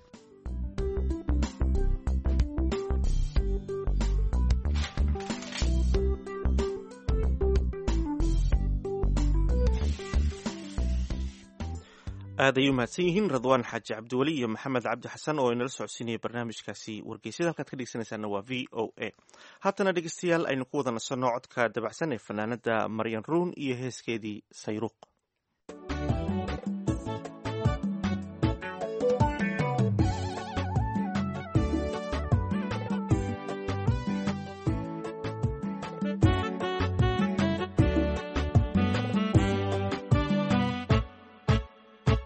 [SPEAKER 2] Aad ay u mahadsan yihiin Radwaan Xaaji Cabdiweli iyo Maxamed Cabdi Xasan oo inala socodsiinaya barnaamijkaasi wargeysyada. Halkaad ka dhegeysanaysaana waa V O A. Haatana dhegeystayaal, aynu ku wada nasanno codka dabacsan ee fanaanada Maryan Ruun iyo heeskeedii Sayruuq.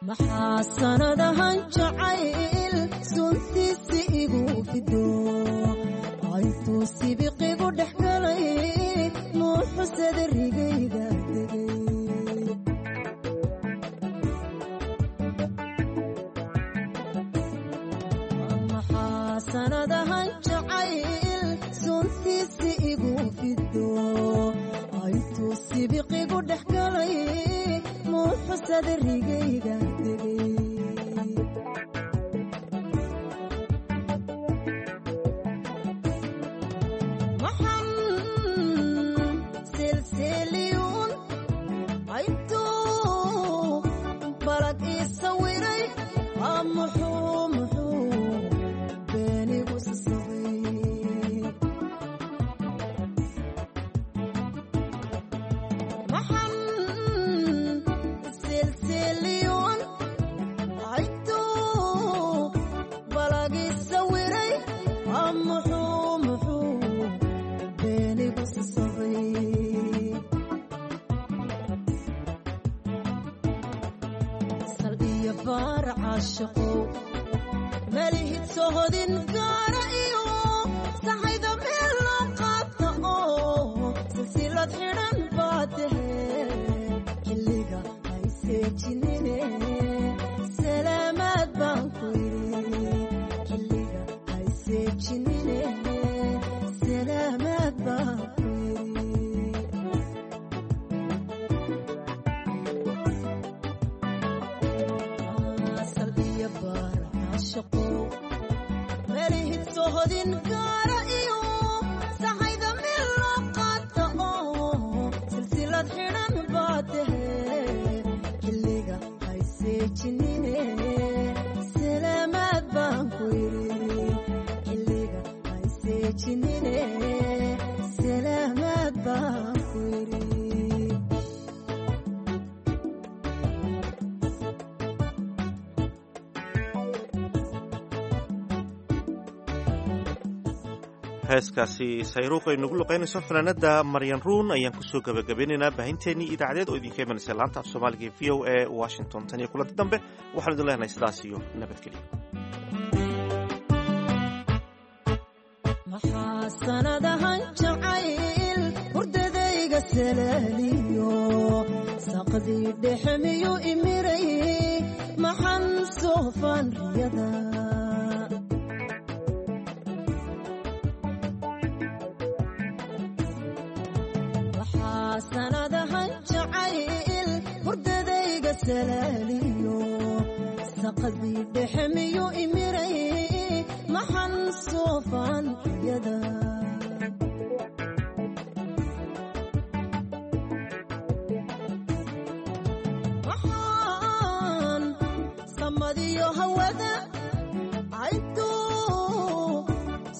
[SPEAKER 8] Maxaa sanadahan jacayl suntiisi igu fido, intuu sibiqigu dhex galay, muuxusada rigayga degay? Maxaa sanadahan jacayl suntiisi igu fido, intuu sibiqigu dhex galay, muuxusada rigayga degay? Maxan silsiliyuun intuu balag ii sawiray, muxuu muxuu beenigu sasabay? Maxan silsiliyuun intuu balag ii sawiray, muxuu muxuu beenigu sasabay? Sal iyo baar caashiqow, malihid sohodin gaara iyo sahayda meel loo qaata oo silsilad xidhan baa tahe, xilliga hayseejinine, salaamaad baan ku yidhi. Xilliga hayseejinine, salaamaad baan ku yidhi. Sal iyo baar caashiqow, malihid sohodin gaara iyo sahayda meel loo qaata oo silsilad xidhan baa tahe, xilliga hayseejinine, salaamaad baan ku yidhi. Xilliga hayseejinine, salaamaad baan ku yidhi.
[SPEAKER 2] Heeskaasi Sayruuq ay nagu luqaynayso fanaanada Maryan Ruun ayaan kusoo gabagabeynaynaa baahinteennii idaacadeed oo idinka imanaysa laanta af Soomaaliga ee V O A Washington. Tan iyo kulanti dambe, waxaan idin leenahay sidaas iyo nabadgelyo.
[SPEAKER 8] Maxaa sanadahan jacayl hurdadayga salaaliyo, saqdii dhexe miyuu imiray, maxan soofaan riyada? Maxaa sanadahan jacayl hurdadayga salaaliyo, saqdii dhexe miyuu imiray, maxan soofaan riyada? Maxaan samadiyo hawada intuu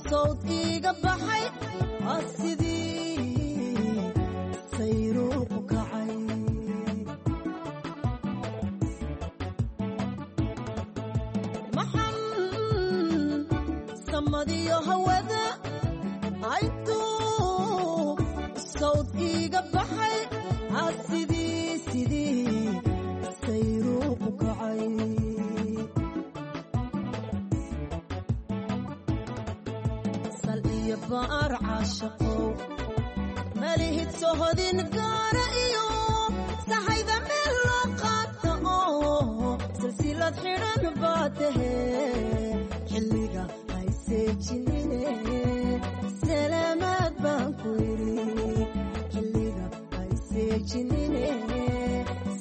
[SPEAKER 8] sawd iiga baxay, sidii sayruuqu kacay? Maxan samadiyo hawada intuu sawd iiga baxay, sidii sidii sayruuqu kacay? Sal iyo baar caashiqow, malihid sohodin gaara iyo sahayda meel loo qaata oo silsilad xidhan baa tahe, xilliga hayseejinine, salaamaad baan ku yidhi. Xilliga hayseejinine,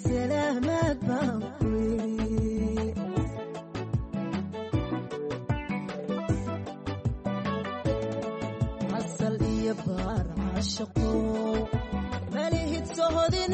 [SPEAKER 8] salaamaad baan ku yidhi. Asal iyo baar caashiqow, malihid sohodin